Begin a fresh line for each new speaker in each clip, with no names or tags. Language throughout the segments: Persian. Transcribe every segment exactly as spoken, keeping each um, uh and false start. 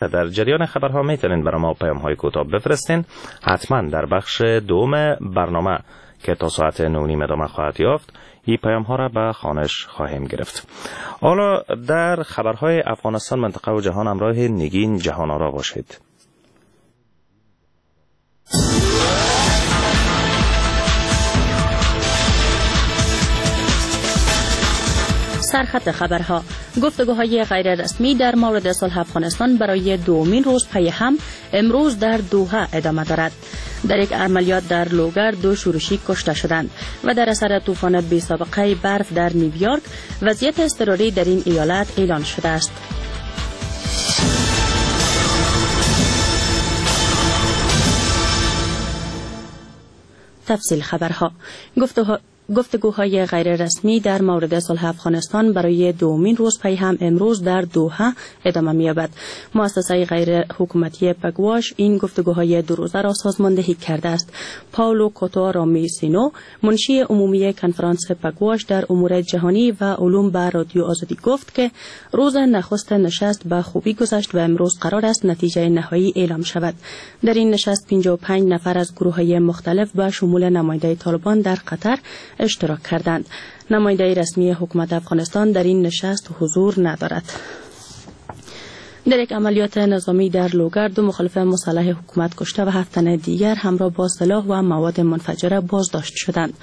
در جریان خبرها میتونین برای ما پیام های کوتاه بفرستین. حتما در بخش دوم برنامه که تا ساعت نه و نیم ادامه خواهد یافت این پیام ها را به خوانش خواهیم گرفت. حالا در خبرهای افغانستان، منطقه و جهان همراه نگین جهان آرا باشید.
سرخط خبرها: گفتگوهای غیر رسمی در مورد صلح افغانستان برای دومین روز پی هم امروز در دوحه ادامه دارد. در یک عملیات در لوگر دو شورشی کشته شدند و در اثر طوفان بی سابقه برف در نیویورک وضعیت اضطراری در این ایالت اعلان شده است. تفصیل خبرها: گفتگوها گفتگوهای غیر رسمی در مورد صلح افغانستان برای دومین روز پی هم امروز در دوحه ادامه می‌یابد. مؤسسه غیر حکومتی پگواش این گفتگوهای دو روزه را سازماندهی کرده است. پاولو کوتو رامیسینو، منشی عمومی کنفرانس پگواش در امور جهانی و علوم، به رادیو آزادی گفت که روز نخست نشست به خوبی گذشت و امروز قرار است نتیجه نهایی اعلام شود. در این نشست پنجاه و پنج نفر از گروه‌های مختلف به شمول نماینده طالبان در قطر اشتراک کردند. نماینده رسمی حکومت افغانستان در این نشست حضور ندارد. در یک عملیات نظامی در لوگر دو مخالف مسلح حکومت کشته و هفت تن دیگر همراه با سلاح و مواد منفجره بازداشت شدند.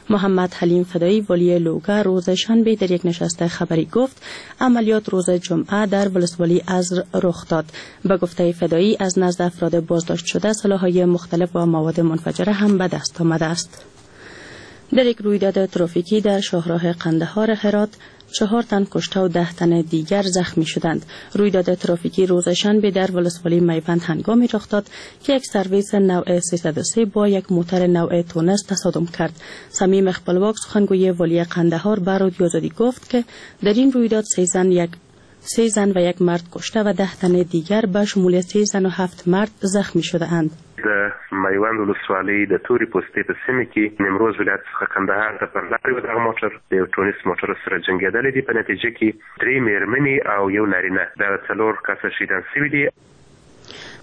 محمد حلیم فدایی، والی لوگر، روز شنبه در یک نشست خبری گفت عملیات روز جمعه در ولسوالی ازر رخ داد. به گفته فدایی از نزد افراد بازداشت شده سلاح‌های مختلف و مواد منفجره هم به دست آمده است. در یک رویداد ترافیکی در شاهراه قندهار هرات چهار تن کشته و ده تن دیگر زخمی شدند. رویداد ترافیکی روز شنبه در ولسوالی میوند هنگامی رخ داد که یک سرویس نوع سیصد و سه با یک موتر نوع تونس تصادم کرد. صمیم خپلواک، سخنگوی والی قندهار، به رادیو آزادی گفت که در این رویداد سه زن یک سه زن و یک مرد کشته و ده تن دیگر به شمول سه زن و هفت مرد زخمی شده اند.
د میوند ولسوالۍ د تورې پوستې په سیمه کې نیمروز ولایت څخه کندهار ته پر لارې و دغه موټر د یو ټونس موټر سره جنګېدلی دی. په نتیجه کې درې مېرمنې او یو نارینه دغه څلور کسه شهیدان شوي دي.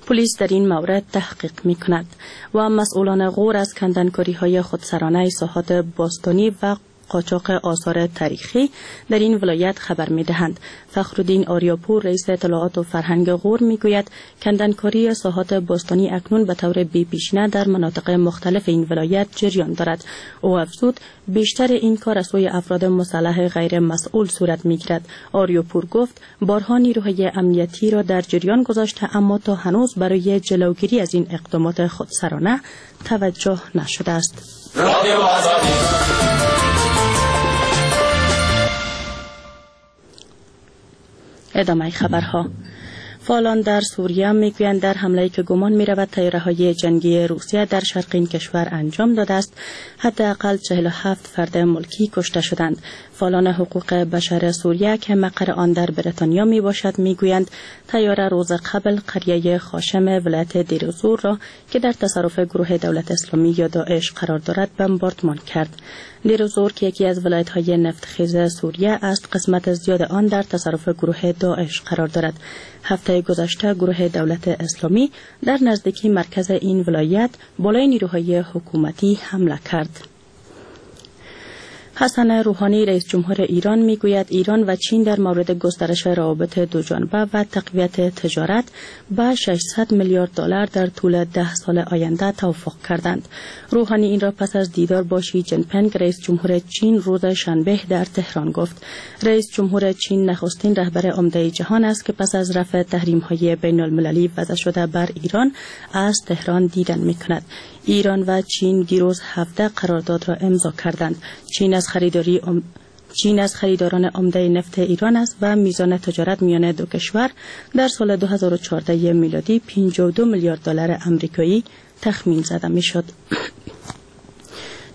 پلیس در این مورد تحقیق می کند و مسئولان غور از کندنکاری های خودسرانه ساحات باستانی و قاچاق آثار تاریخی در این ولایت خبر می دهند. فخرالدین آریاپور، رئیس اطلاعات و فرهنگ غور، می گوید کندنکاری ساحات باستانی اکنون به طور بی پیشینه در مناطق مختلف این ولایت جریان دارد. او افزود بیشتر این کار از سوی افراد مسلح غیر مسئول صورت می گیرد. آریاپور گفت بارها نیروهای امنیتی را در جریان گذاشته، اما تا هنوز برای جلوگیری از این اقدامات خودسرانه توجه نشده است. ادامه خبرها: فعالان در سوریه میگویند در حمله‌ای که گمان می‌رود طیاره‌های جنگی روسیه در شرق این کشور انجام داده است، حداقل چهل و هفت فرد ملکی کشته شدند. فعالان حقوق بشر سوریه که مقر آن در بریتانیا میباشد میگویند طیاره روز قبل قریه خاشم ولایت دیرزور را که در تصرف گروه دولت اسلامی یا داعش قرار دارد بمباردمان کرد. دیرزور که یکی از ولایت‌های نفتخیز سوریه است، قسمت زیاد آن در تصرف گروه داعش قرار دارد. هفته گذشته گروه دولت اسلامی در نزدیکی مرکز این ولایت بالای نیروهای حکومتی حمله کرد. حسن روحانی، رئیس جمهور ایران، میگوید ایران و چین در مورد گسترش روابط دوجانبه و تقویت تجارت به ششصد میلیارد دلار در طول ده سال آینده توافق کردند. روحانی این را پس از دیدار با شی جین پینگ، رئیس جمهور چین، روز شنبه در تهران گفت. رئیس جمهور چین نخستین رهبر عمده جهان است که پس از رفع تحریم‌های بین المللی وضع شده بر ایران از تهران دیدن می‌کند. ایران و چین دیروز هفده قرارداد را امضا کردند. چین از خریداری ام... چین از خریداران عمده نفت ایران است و میزان تجارت میان دو کشور در سال دو هزار و چهارده میلادی پنجاه و دو میلیارد دلار آمریکایی تخمین زده میشد.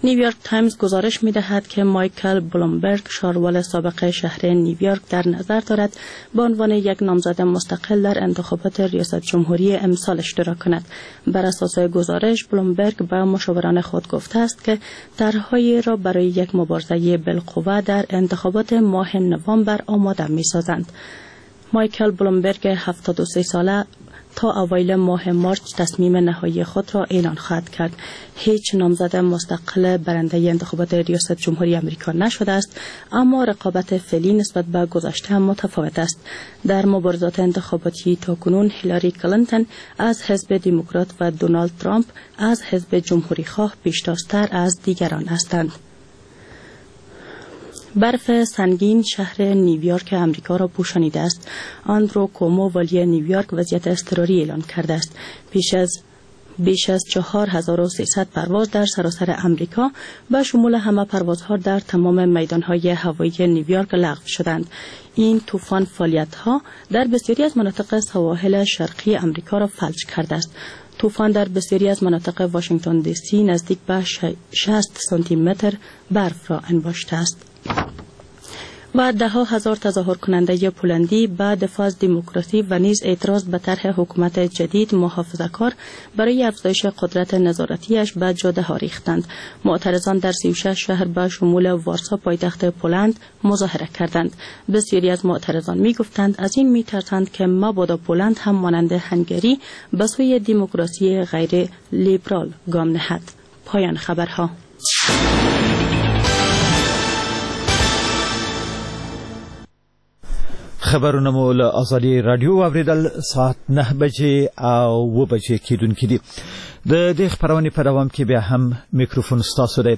نیویورک تایمز گزارش می‌دهد که مایکل بلومبرگ، شاروال سابق شهر نیویورک، در نظر دارد به عنوان یک نامزد مستقل در انتخابات ریاست جمهوری امسال اشتراک کند. بر اساس گزارش، بلومبرگ به مشاوران خود گفته است که طرح‌هایی را برای یک مبارزه بالقوه در انتخابات ماه نوامبر آماده می‌سازند. مایکل بلومبرگ هفتاد و سه ساله تا اوایل ماه مارچ تصمیم نهایی خود را اعلان خواهد کرد. هیچ نامزد مستقل برنده انتخابات ریاست جمهوری آمریکا نشده است، اما رقابت فعلی نسبت به گذشته متفاوت است. در مبارزات انتخاباتی تاکنون هیلاری کلینتون از حزب دموکرات و دونالد ترامپ از حزب جمهوری خواه پیشتازتر از دیگران هستند. برف سنگین شهر نیویورک امریکا را پوشانیده است. آندرو کومو والی نیویورک وضعیت اضطراری اعلان کرده است. پیش از بیش از چهار هزار و سیصد پرواز در سراسر امریکا به شمول همه پروازها در تمام میدانهای هوایی نیویورک لغو شدند. این طوفان فعالیت‌ها در بسیاری از مناطق سواحل شرقی امریکا را فلج کرده است. طوفان در بسیاری از مناطق واشنگتن دی سی نزدیک به شصت سانتی متر برف را انباشته است. و ده ها هزار تظاهر کننده پولندی به دفاع از دموکراسی و نیز اعتراض به طرح حکومت جدید محافظه‌کار برای افزایش قدرت نظارتیش به جاده ها ریختند. معترضان در سی و شش شهر به شمول وارسا پایتخت پولند مظاهره کردند. بسیاری از معترضان می گفتند از این می ترسند که مبادا پولند هم مانند هنگری به سوی دموکراسی غیر لیبرال گام نهد. پایان خبرها.
خبرونه مو له ازادي رادیو واورېدل. ساعت نه بجې او اووه بجې کېدونکې دي. د دې خپرونې په دوام کې بیا هم میکروفون ستاسو دی.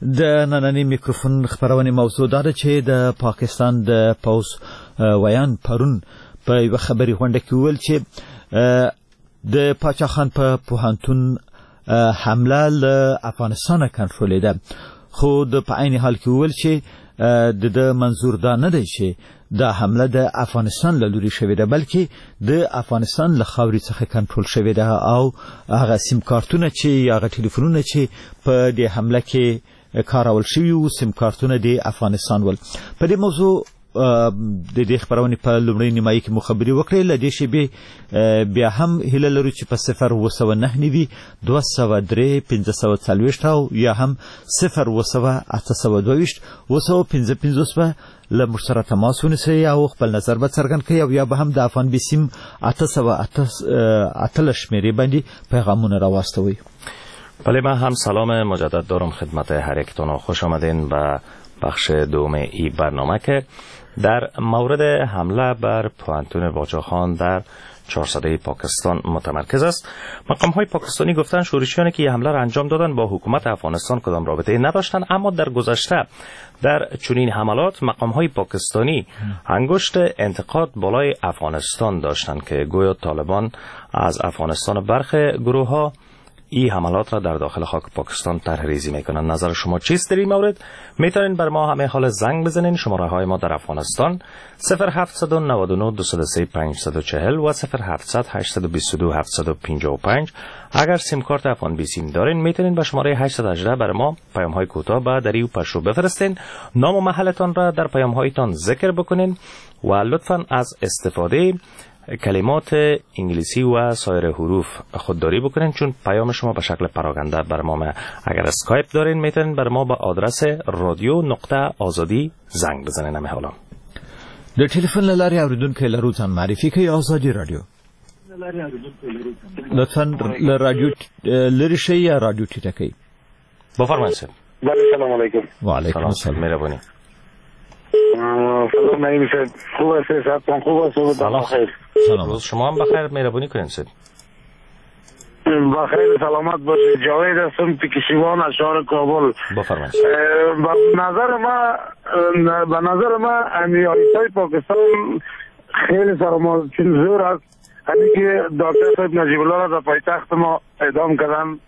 د نننۍ میکروفون خپرونې موضوع دا ده چې د پاکستان د پوځ ویاند پرون په یوه خبري غونډه کې وویل چې د پاچا خان په پوهنتون حمله له افغانستانه کنټرولېده، خو د په عین حال کې وویل چې د ده منظور دا نه دی چې دا حمله د افغانستان له لوري شوې ده، بلکې د افغانستان له خاورې څخه کنټرول شوې ده او هغه سیم کارتونه چې یا هغه ټلیفونونه چې په دې حمله کې کارول شوي وو، سیم کارتونه د افغانستان ول. په دې موضوع د دې خپرونې په لومړۍ نیمایي کې مو خبرې وکړې. له دې شېبې بیا هم هیله لرو چې په صفر اووه سوه نهه نوي دوه سوه درې پنځه سوه څلوېښت او یا هم صفر اووه سوه اته سوه دوه ویشت اووه سوه پنځه پنځوس به له موږ سره تماس ونیسئ او خپل نظر به څرګند کړئ او یا به هم د افغان بیسیم اته سوه اتلس شمېرې باندې پیغامونه راواستوئ.
بله، من هم سلام مجدد دارم خدمت هر یکتون و خوش آمدین به بخش دوم ای برنامه که در مورد حمله بر پوهنتون باچاخان در چهارصده پاکستان متمرکز است. مقام های پاکستانی گفتند شورشیانی که حمله را انجام دادند با حکومت افغانستان کدام رابطه نداشتند، اما در گذشته در چنین حملات مقام های پاکستانی انگشت انتقاد بالای افغانستان داشتند که گویا طالبان از افغانستان برخی گروه ها این حملات را در داخل خاک پاکستان طرح ریزی میکنند. نظر شما چیست در این مورد؟ میتونین بر ما همه حال زنگ بزنین. شماره های ما در افغانستان صفر هفت نه نه دو سه پنج چهار و صفر هفت هشت دو دو هفت پنج پنج. اگر سیم کارت افغان بی سیم دارین میتونین به شماره هشت هشت بر ما پیام های کوتاه به دری و پشو بفرستین. نام و محلتان را در پیام هایتان ذکر بکنین و لطفاً از استفاده کلمات انگلیسی و سایر حروف خودداری بکنین، چون پیام شما به شکل پراگنده بر ما. اگر اسکایپ دارین میتونین بر ما به آدرس رادیو نقطه آزادی زنگ بزنین. همه حالا
د ټلیفون له لارې اورېدونکی لرو ځان معرفي کوي. ازادي رادیو، لطفاً له رادیو لرې شئ یا رادیو ټیټه کړئ.
بفرمایئ صاحب.
بله، سلام علیکم.
و علیکم السلام.
مهربانی.
سلام نعیم صاحب، خوب هستی؟ صحتتان خوب است؟
سلام.
بخیر.
سلام. روز شما هم بخیر. مهربانی کنین صاحب.
بخیر، سلامت باشید. جاوید هستم پیکشیوان از شهر کابل.
بفرمایید.
به نظر ما به نظر ما امیایتای پاکستان خیلی سر ما چون زور است. همین که دکتر صاحب نجیب الله را در پایتخت ما اعدام کردن،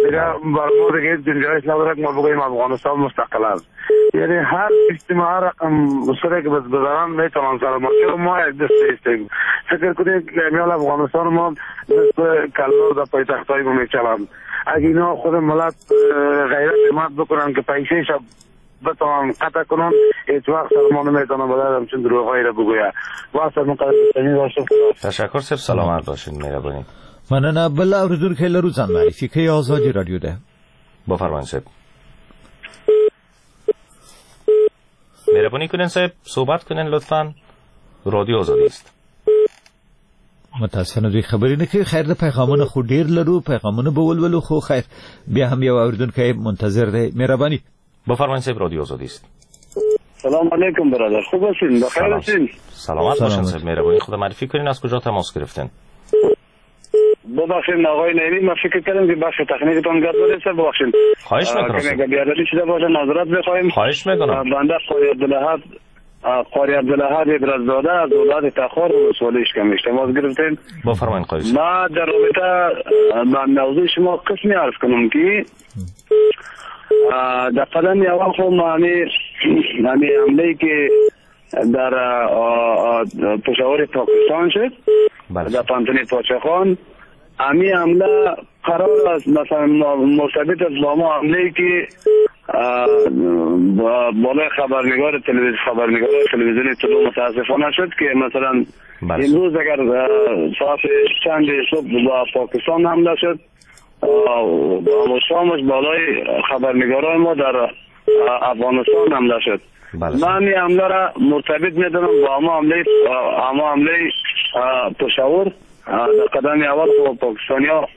دیگه بر ما دیگه گنجایش نداره که ما بگوییم افغانستان مستقل است. یعنی هر سیستم هر رقم سره که بزنن میتونن سر ما، چون ما یک دست هستیم. فکر کنید که امیال افغانستان ما دست کلار در پایتخت های ما میچلند. اگه اینا خود ملت غیرت حمایت بکنن که پیسه شب بتوان قطع کنن، هیچ وقت سر ما نمیتونن باید همچون دروغهایی را بگوید. واسه من قدر داشتم.
تشکر صاحب، سلامت باشین. مهربانی.
مننه. بل اوریدونکی لرو ځان معرفي کوي. ازادي رادیو ده.
بفرمایئ صاحب. مهربانی کنین صاحب، صحبت کنین لطفاً. رادیو آزادی است.
متاسفانه دوی خبرې نه کوي. خیر، د پیغامونه خو ډېر لرو، پیغامونه به ولولو، خو خیر بیا هم یو اوریدونکی منتظر دی. مهرباني.
بفرمایید صاحب، رادیو آزادی است.
سلام علیکم برادر، خوب هستین؟ بخیر هستین؟
سلامت باشین صاحب، مهربانی خدا معرفی کنین از کجا تماس گرفتین؟
ببخشید آقای نعیمی، من فکر کردم که بخش تکنیکتون گپ زده. ببخشید.
خواهش میکنم.
که بیادبی شده باشه معذرت بخوایم.
خواهش میکنم.
بنده قاری عبدالحد قاری عبدالحد ابرزاده از ولایت تخار ولسوالی اشکمش تماس گرفتیم.
بفرمایید قاری.
ما در رابطه با موضوع شما قسمی عرض کنم که در قدم اول خو ما همی حمله که در پشاور پاکستان شد، در پانتون پاچخان، همی حمله قرار است مثلا مرتبط است با ما حمله که بالای خبرنگار تلویزیون خبرنگار تلویزیون طلوع متاسفانه شد که مثلا امروز اگر ساعت چند صبح با پاکستان حمله شد، و شامش بالای خبرنگاران ما در افغانستان حمله شد. من این حمله را مرتبط میدونم با اما حمله اما حمله پشاور. در قدم اول پاکستانی ها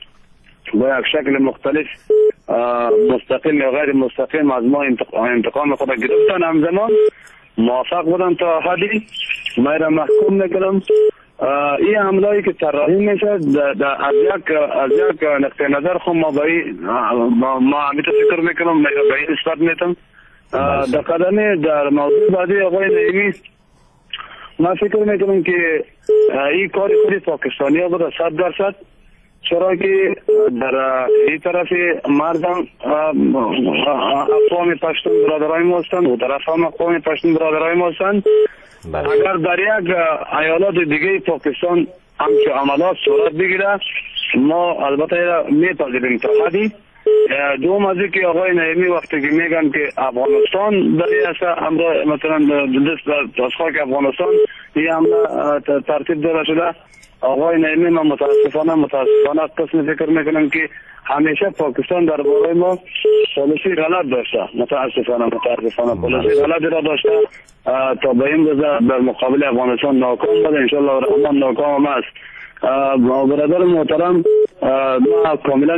با یک شکل مختلف مستقیم یا غیر مستقیم از ما انتقام خود گرفتن، همزمان موافق بودن تا حدی. من را محکوم میکنم. این حمله‌ای که طراحی میشه از یک از یک نقطه نظر خود ما به ما همیشه فکر میکنم به این نسبت میتم. در قدم در موضوع بعدی آقای نعیمی، من فکر میکنم که این کار خود پاکستانی ها بوده صد درصد، چرا که در این طرف مردم اقوام پشتون برادرای ما هستند و طرف هم اقوام پشتون برادرای ما هستند. اگر در یک ایالات دیگه پاکستان همچه عملات صورت بگیره، ما البته میپذیریم تا حدی. دوم از اینکه آقای نعیمی وقتی که میگن که افغانستان در این مثلا دست از خاک افغانستان این حمله ترتیب داده شده، آقای نعیمی من متاسفانه متاسفانه قسم فکر میکنم که همیشه پاکستان درباره ما پالیسی غلط داشته. متاسفانه متاسفانه پالیسی غلطی را داشته تا به این روز در مقابل افغانستان ناکام بوده. انشالله رحمان ناکام است. برادر محترم، ما کاملا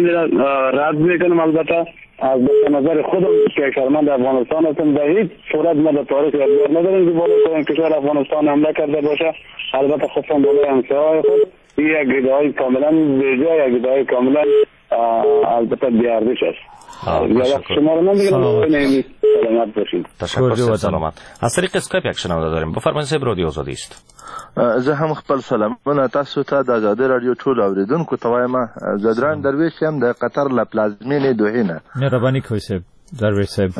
رد میکنم البته از نظر خودم که شرمند افغانستان هستم، به هیچ صورت ما در تاریخ یادگار نداریم که بالای کشور افغانستان حمله کرده باشه. البته خصوصا بالای همسایه‌های خود. این یک ادعای کاملا بیجا، یک ادعای کاملا البته بی‌ارزش است. شما رو من دیگه سلامت باشید.
تشکر، سلامت. از طریق اسکایپ یک شنونده داریم. بفرمایید صاحب، رادیو آزادی است.
زه هم خپل سلامونه تاسو ته د ازادي رادیو ټولو اورېدونکو ته وایم. ځدران درویش یم د قطر له پلازمینې دوحې نه.
مهرباني کوئ صاحب درویش صاحب.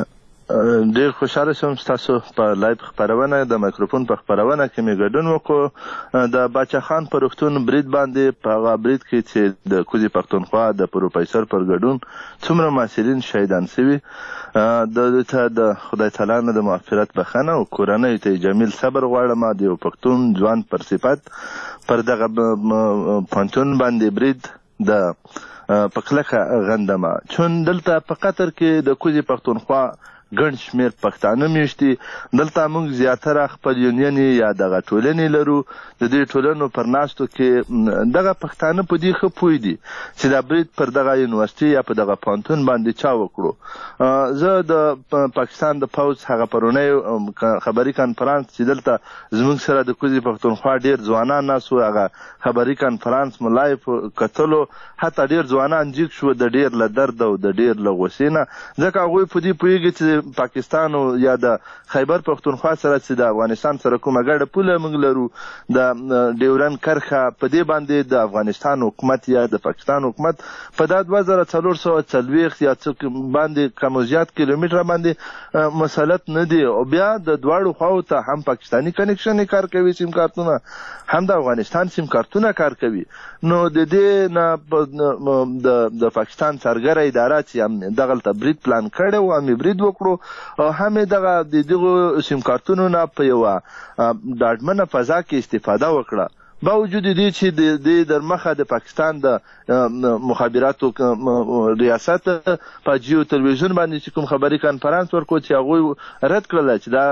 ډېر خوشحاله شوم ستاسو په live خپرونه، د مایکروفون په خپرونه کې مې ګډون وکړو. د باچا خان په روغتون برید باندې، په هغه برید کې چې د کوزې پښتونخوا د پروفیسور پر ګډون څومره محصلین شهیدان شوي، د دوی ته د خدای تعالی نه د مغفرت بخښنه او کورنیو ته یې جمیل صبر غواړم. د یو پښتون ځوان پر صفت پر دغه پوهنتون باندې برید د په کلکه غندمه، چون دلته په قطر کې د کوزې پښتونخوا ګڼ شمېر پښتانه میشت دي. دلته موږ زیاتره خپل یونینې یا دغه ټولنې لرو. د دې ټولنو پر ناستو کې دغه پښتانه په دې ښه پوه دي چې دا برید پر دغه یونیورسټي یا په دغه پوهنتون باندې چا وکړو. زه د پاکستان د پوځ هغه پرونی خبري کانفرانس چې دلته زموږ سره د کوزې پښتونخوا ډېر ځوانان ناست وو، هغه خبري کانفرانس مو live کتلو، حتی ډېر ځوانان جیګ شو د ډېر له درد او د ډېر له غوسې نه، ځکه هغوی په دې پوهېږي چې پاکستان یا د خیبر پښتونخوا سره چې د افغانستان سره کومه ګډه پوله موږ لرو، د ډیورن کرښه، په دې باندې د افغانستان حکومت یا د پاکستان حکومت په دا دوه زره څلور سوه څلوېښت یا څه باندې کم او زیات کیلومتره باندې مسلط نه دی. او بیا د دواړو خواو ته هم پاکستاني connection کار کوي سیم کارتونه، هم د افغانستان سیم کارتونه کار کوي. نو د دې نه د پاکستان څارګره اداره چې هم دغلته برید پلان کړی و، هم یې برید وکړو او هم یې دغه د دغو سیم کارتونو نه په یوه ډاډمنه فضا کې استفاده وکړه. باوجود دې چې د دې در مخه د پاکستان د مخابراتو ریاست په جیو تلویزیون باندې چې کوم خبري کانفرنس ورکړو چې هغوی رد کړله چې دا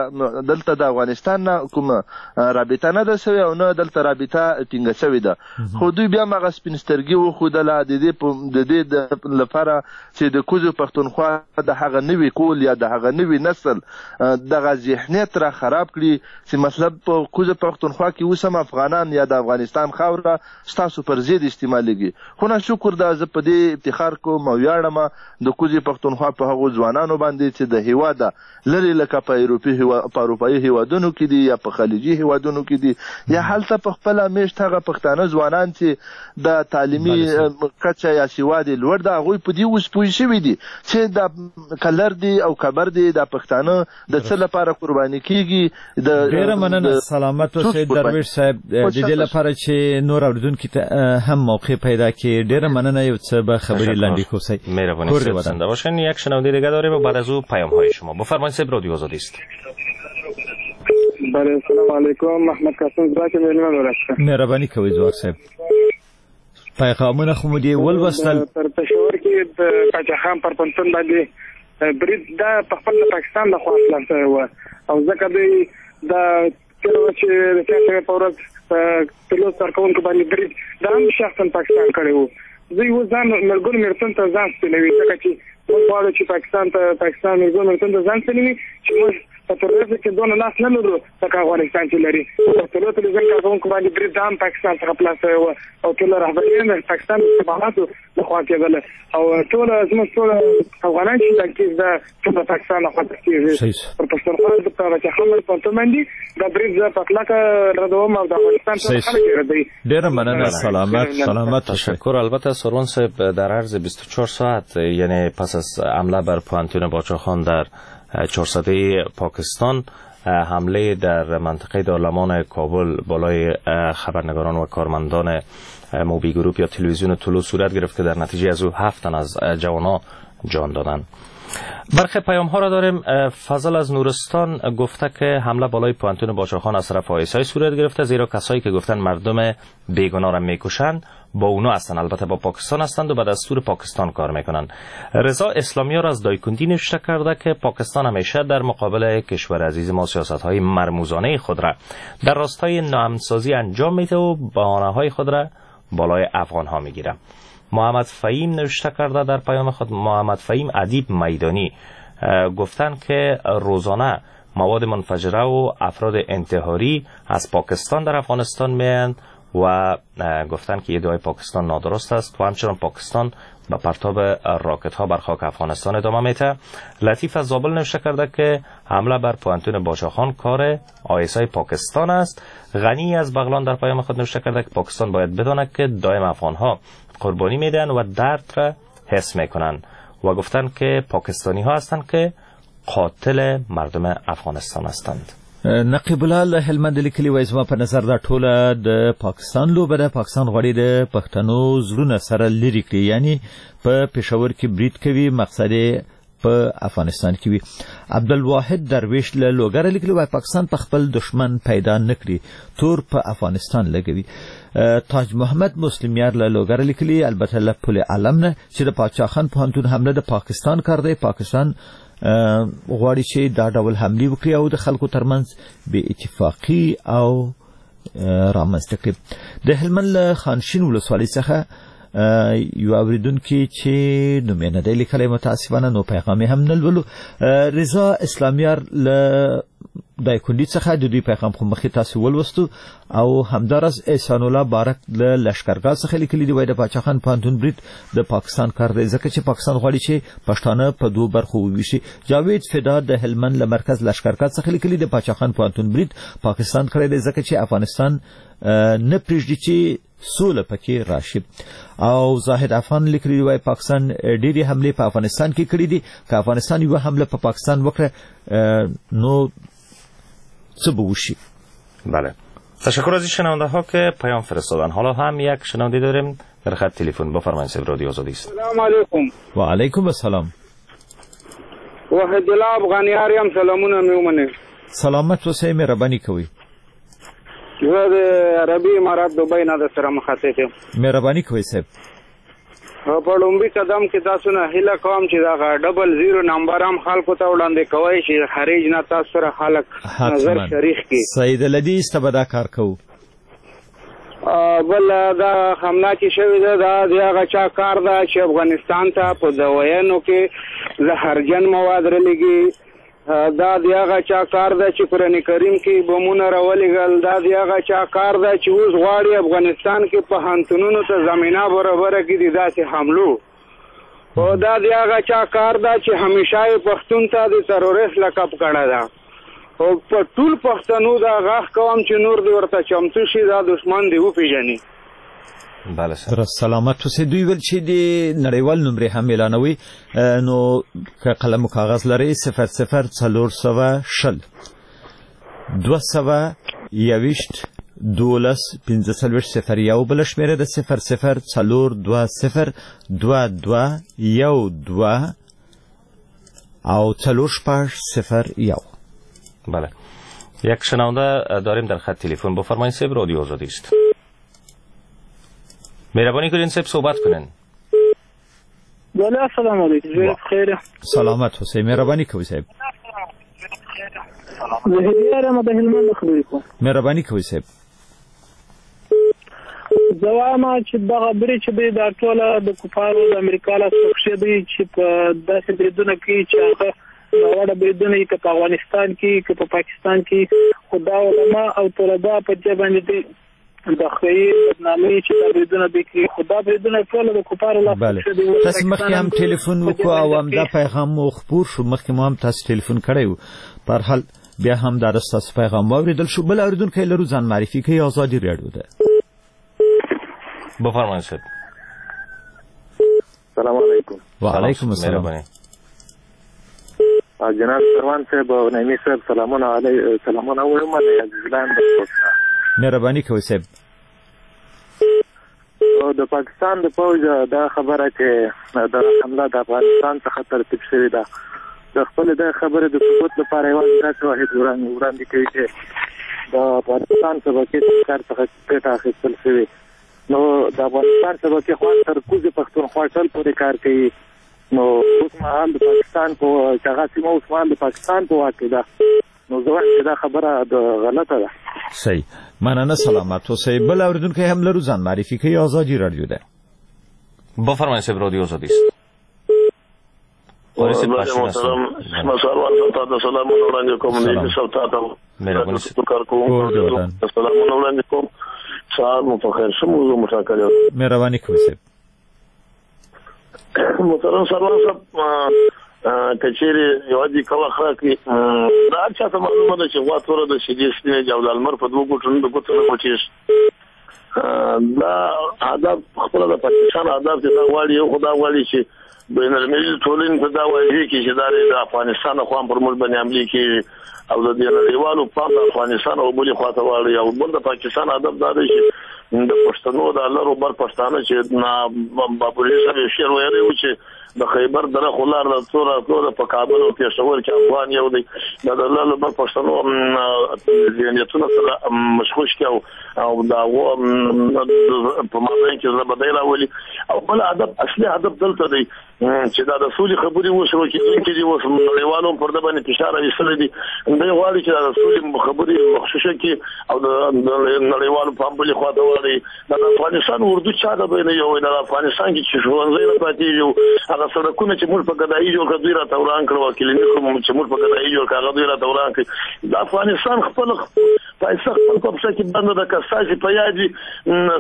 دلته د افغانستان نه کومه رابطه نه ده شوې او نه دلته رابطه ټینګه شوې ده. خو دوی بیا هم هغه سپین سترګي وښودله د دې د دې لپاره چې د کوزو پښتونخوا د هغه نوي کول یا د هغه نوي نسل دغه ذهنیت را خراب کړي چې مطلب په کوزه پښتونخوا کې اوس هم افغانان یا د افغانستان خاوره ستاسو پر ضد استعمالېږي. خو نه شکر ده، زه په دې افتخار کوم او ویاړم د کوزې پښتونخوا په هغو ځوانانو باندې چې د هېواده لرې لکه په په اروپایي هېوادونو کې دي یا په خلیجي هېوادونو کې دي یا هلته په خپله مېشت هغه پښتانه ځوانان چې د تعلیمي کچه یا سواد یې لوړ ده، هغوی په دې اوس پوه شوي دي چې دا کلر دی او کبر دی، دا پښتانه د څه لپاره قرباني کېږي.
ډېره مننه، سلامت اوسئ درویش صاحب. د دې لپاره چې نور اورېدونکي ته هم موقع پیدا کړي، ډېره مننه. یو څه به خبرې لنډې کوسئ.
مهربانی زنده باشین. یک شنونده دیگه داریم و بعد از او پیام های شما. بفرمایید صاحب، رادیو آزادی است.
بله، سلام علیکم، محمد قاسم ځواک مېلمه ورسره.
مهرباني کوئ ځواک صاحب. پیغامونه خو مو دې ولوستل.
پر پېښور کې د پاچا خان پر پوهنتون باندې برید دا په خپل د پاکستان له خوا پلان شوی و او ځکه دوی دا تېره ورځ چې د چهارشنبې په ورځ طلوع کارکوونکو باندې برید دا هم شخصا پاکستان کړی و. دوی اوس ځان ملګرو ملتونو ته ځان سپینوي، ځکه چې موږ غواړو چې پاکستان ته پاکستان ملګرو ملتونو ته ځان سپینوي چې موږ په تروریزم کې دونه لاس نه لرو لکه افغانستان چې لري. په طلوع تلویزیون کارکوونکو باندې برید دا هم پاکستان څخه پلان شوی و او ټوله رهبري هم د پاکستان د استخباراتو لخوا کېدله او ټوله زموږ ټوله افغانان چې دا کیس دا ټول د پاکستان لخوا کېږي. پر پښتونخوا د پاچا خان پوهنتون باندې دا برید زه په کلکه ردوم او د افغانستان ټول خلک یې ردوي.
ډېره مننه، سلامت سلامت.
تشکر. البته سروان صاحب در عرض بیست و چهار ساعت، یعنی پس از حمله بر پوهنتون باچاخان در چهارصده پاکستان، حمله در منطقه دارالمان کابل بالای خبرنگاران و کارمندان موبی گروپ یا تلویزیون طلوع صورت گرفت که در نتیجه از او هفت تن از جوانها جان دادند. برخی پیام ها را داریم. فضل از نورستان گفته که حمله بالای پوهنتون باچاخان از طرف آیسای صورت گرفته، زیرا کسایی که گفتن مردم بیگناه را میکشند با اونا هستند، البته با پاکستان هستند و به دستور پاکستان کار میکنند. رضا اسلامیار از دایکندی نوشته کرده که پاکستان همیشه در مقابل کشور عزیز ما سیاست های مرموزانه خود را در راستای ناامنسازی انجام میده و بهانه های خود را بالای افغان ها میگیره. محمد فهیم نوشته کرده در پیام خود، محمد فهیم ادیب میدانی گفتن که روزانه مواد منفجره و افراد انتحاری از پاکستان در افغانستان میان و گفتن که ادعای پاکستان نادرست است و همچنان پاکستان به پرتاب راکت ها بر خاک افغانستان ادامه میده. لطیف از زابل نوشته کرده که حمله بر پوهنتون باچاخان کار آیسای پاکستان است. غنی از بغلان در پیام خود نوشته کرده که پاکستان باید بداند که دائم افغان ها قربانی میدن و درد را حس میکنن و گفتن که پاکستانی ها هستند که قاتل مردم افغانستان هستند.
نقیب الله له هلمند لیکلي وایي زما په نظر دا ټوله د پاکستان لوبه ده. پاکستان غواړي د پښتنو زړونه سره لرې کړي، یعنی په پېښور کې برید کوي، مقصد یې په افغانستان کې وي. عبدالواحد درویش له لوګره لیکلي وایي پاکستان په خپل دښمن پیدا نه کړي، تور په افغانستان لګوي. تاج محمد مسلمیار له لوګره لیکلي البته له پل علم نه چې د پاچا خان پوهنتون حمله د پاکستان کار دی، پاکستان غواړي چې دا ډول حملې وکړي او د خلکو ترمنځ بې اتفاقي او رامنځته کړي. د هلمند له خانشین ولسوالۍ څخه یو اورېدونکی چې نوم یې نه دی لیکلی متاسفانه، نو پیغام یې هم نه لولو. رضا اسلامیار له دایکندي څخه د دوی پیغام خو مخکې تاسو ولوستو. او همداراز احسان الله بارک له لشکرګاه څخه لیکلي دي وایي د پاچا خان پوهنتون برید د پاکستان کار دی، ځکه چې پاکستان غواړي چې پښتانه په دوو برخو وویشي. جاوید فدا د هلمند له مرکز لشکرګاه څخه لیکلي د پاچا خان پوهنتون برید پاکستان کړی دی، ځکه چې افغانستان نه پرېږدي چې سوله پکې راشي. او زاهد افغان لیکلي وایي پاکستان ډېرې حملې په افغانستان کې کړې دي، که افغانستان یوه حمله په پاکستان وکړه نو څه به وشي.
بله، تشکر از این شنونده ها که پیام فرستادن. حالا هم یک شنونده داریم در خط تلفن. بفرمایید صاحب، رادیو آزادی است.
سلام علیکم.
و علیکم السلام.
وحید الله افغانیار یم، سلامونه مې ومنئ.
سلامت اوسئ، مهرباني کوئ.
زه د عربي امارات دوبۍ نه د سره مخاطب یم.
مهرباني کوئ صاحب.
په لومړي قدم کې تاسو نه هیله کوم چې دغه double zero number هم خلکو ته وړاندې کوئ چې خارج نه تاسو سره خلک نظر شریک کړي.
سید الحدیث ته به دا کار کوو.
بل دا حمله چې شوې ده دا د هغه چا کار ده چې افغانستان ته په دوایانو کې زهرجن مواد رالیږي. دا د هغه چا کار ده چې قرآن کریم کې بمونه راولېږل. دا د هغه چا کار ده چې اوس غواړي افغانستان کې پوهنتونونو ته زمینه برابره کړي د داسې حملو. او دا د هغه چا کار ده چې همیشه یې پښتون ته د تروریست لقب کړی ده. او په ټول پښتنو دا غږ کوم چې نور دې ورته چمتو شي، دا دښمن دې وپېژني.
بله
سر سلامت اوسئ. دوی ویل چې د نړیوال نمرې هم اعلانوي، نو که قلم و کاغذ لرئ صفر صفر څلور سوه شل دوه سوه یوویشت دولس پنځه څلوېښت صفر یو، بله شمېره ده صفر صفر څلور دوه صفر دوه دوه یو دوه او څلور شپږ صفر یو.
بله، یک شنونده داریم در خط تلفن. بفرمایید صاحب، رادیو آزادی است. مهربانی کنین صاحب صحبت کنین.
بله، السلام علیکم. خیر
سلامت حسین، مهربانی کوئ صاحب.
زه هلیار د هلمند خبرې کوم.
مهربانی کوئ صاحب.
زه وایم چې دغه برید چې دی دا ټوله د کفارو د امریکا لاس پکښې دی چې په داسې بریدونه کوي چې هغه ناوړه بریدونه یې که په افغانستان کې که په پاکستان کې، خو دا علما او طلبا په دې باندې دی د ښې بدنامۍ چې دا بریدونه دی کوي، خو دا بریدونه ټوله د کفارو لاس پکښې دی.
تاسې مخکې هم ټلیفون وکړو او همدا پیغام مو خپور شو، مخکې مو هم تاسې ټلیفون کړی و. په هر حال بیا هم دا ستاسو پیغام واورېدل شو. بل اورېدونکی لرو، ځان معرفي کوي. ازادي راډیو ده.
بفرمایید صاحب.
سلام علیکم.
وعلیکم السلام.
جناب سروان صاحب او نعیمي صاحب سلامونه علی سلامونه وایم. عزیزلان
مهرباني کوئ صاحب.
د پاکستان د پوځ دا خبره چې د حمله د افغانستان څخه ترتیب شوې ده، د خپل د خبرې د ثبوت لپاره یوازې دا شواهد وړاندې کوي چې د افغانستان شبکې کار څخه ګټه اخیستل شوې. نو د افغانستان شبکې خو تر کوزې پښتونخوا شل پورې کار کوي. نو اوس مهال د پاکستان په هغه سیمه اوس مهال د پاکستان په واک کې ده. نو زه وایم چې دا خبره د غلطه ده.
صحیح، مننه، سلامت اوسئ. بل اورېدونکی هم لرو، ځان معرفي کوي. ازادي راډیو ده.
بفرمایید صاحب، رادیو ازادي است.
محترم سروان صاحب تاته سلامونه وړاندې کوم. نعیمي صاحب تاته کار کوم، سلامونه وړاندې کوم. سهار مو په خیر. ښه موضوع مو ټاکلې.
مهرباني کوئ صاحب.
محترم سروان صاحب، که چیرې یوازې کوه ښه کړي، دا هر چا ته معلومه ده چې غوا توره ده، شیدې سپینې دي او د لمر په دوو ګوټو د ګوتو نه پټېږي. دا هدف خپله د پاکستان هدف دی. دا غواړي، یو خو دا غواړي چې بین المللي ټولنې ته دا واضح کړي چې دا د افغانستان لخوا هم پر موږ باندې حملې کېږي او د دې نړیوالو پام د افغانستان او بلې خوا ته واړوي. او بل د پاکستان هدف دا دی چې د پښتنو د لر او بر پښتانه چې بابولي صاحب یو شعر ویلی و چې د خیبر دره خو لار ده څو راتلو ده په کابل او پېښور کې افغان یو دی. دا د لر او بر پښتنو ذهنیتونه سره مشغوش کړي او او د هغو په مابین کې زړه بدۍ راولي. او بل هدف، اصلي هدف دلته دی چې دا د سولې خبرې اوس شروع کېدونکې دي. اوس نړیوالو هم پر ده باندې فشار راویستلی دی. دی غواړي چې دا د سولې خبرې مخشوشه کړي او د نړیوالو پام بلې خوا ته واړوي. دا د افغانستان اردو چا ته به نه یو وایي؟ دا د افغانستان کې چې ښوونځی نه پاتېږي، هغه سړکونه چې موږ په ګدایي جوړ کړه دوی راته وران کړل، او کلینیک چې موږ په ګدایي جوړ کړه هغه دوی راته وران کړي. د افغانستان خپل پیسه خپل په پښه کې بنده ده. که ستاسې په یاد وي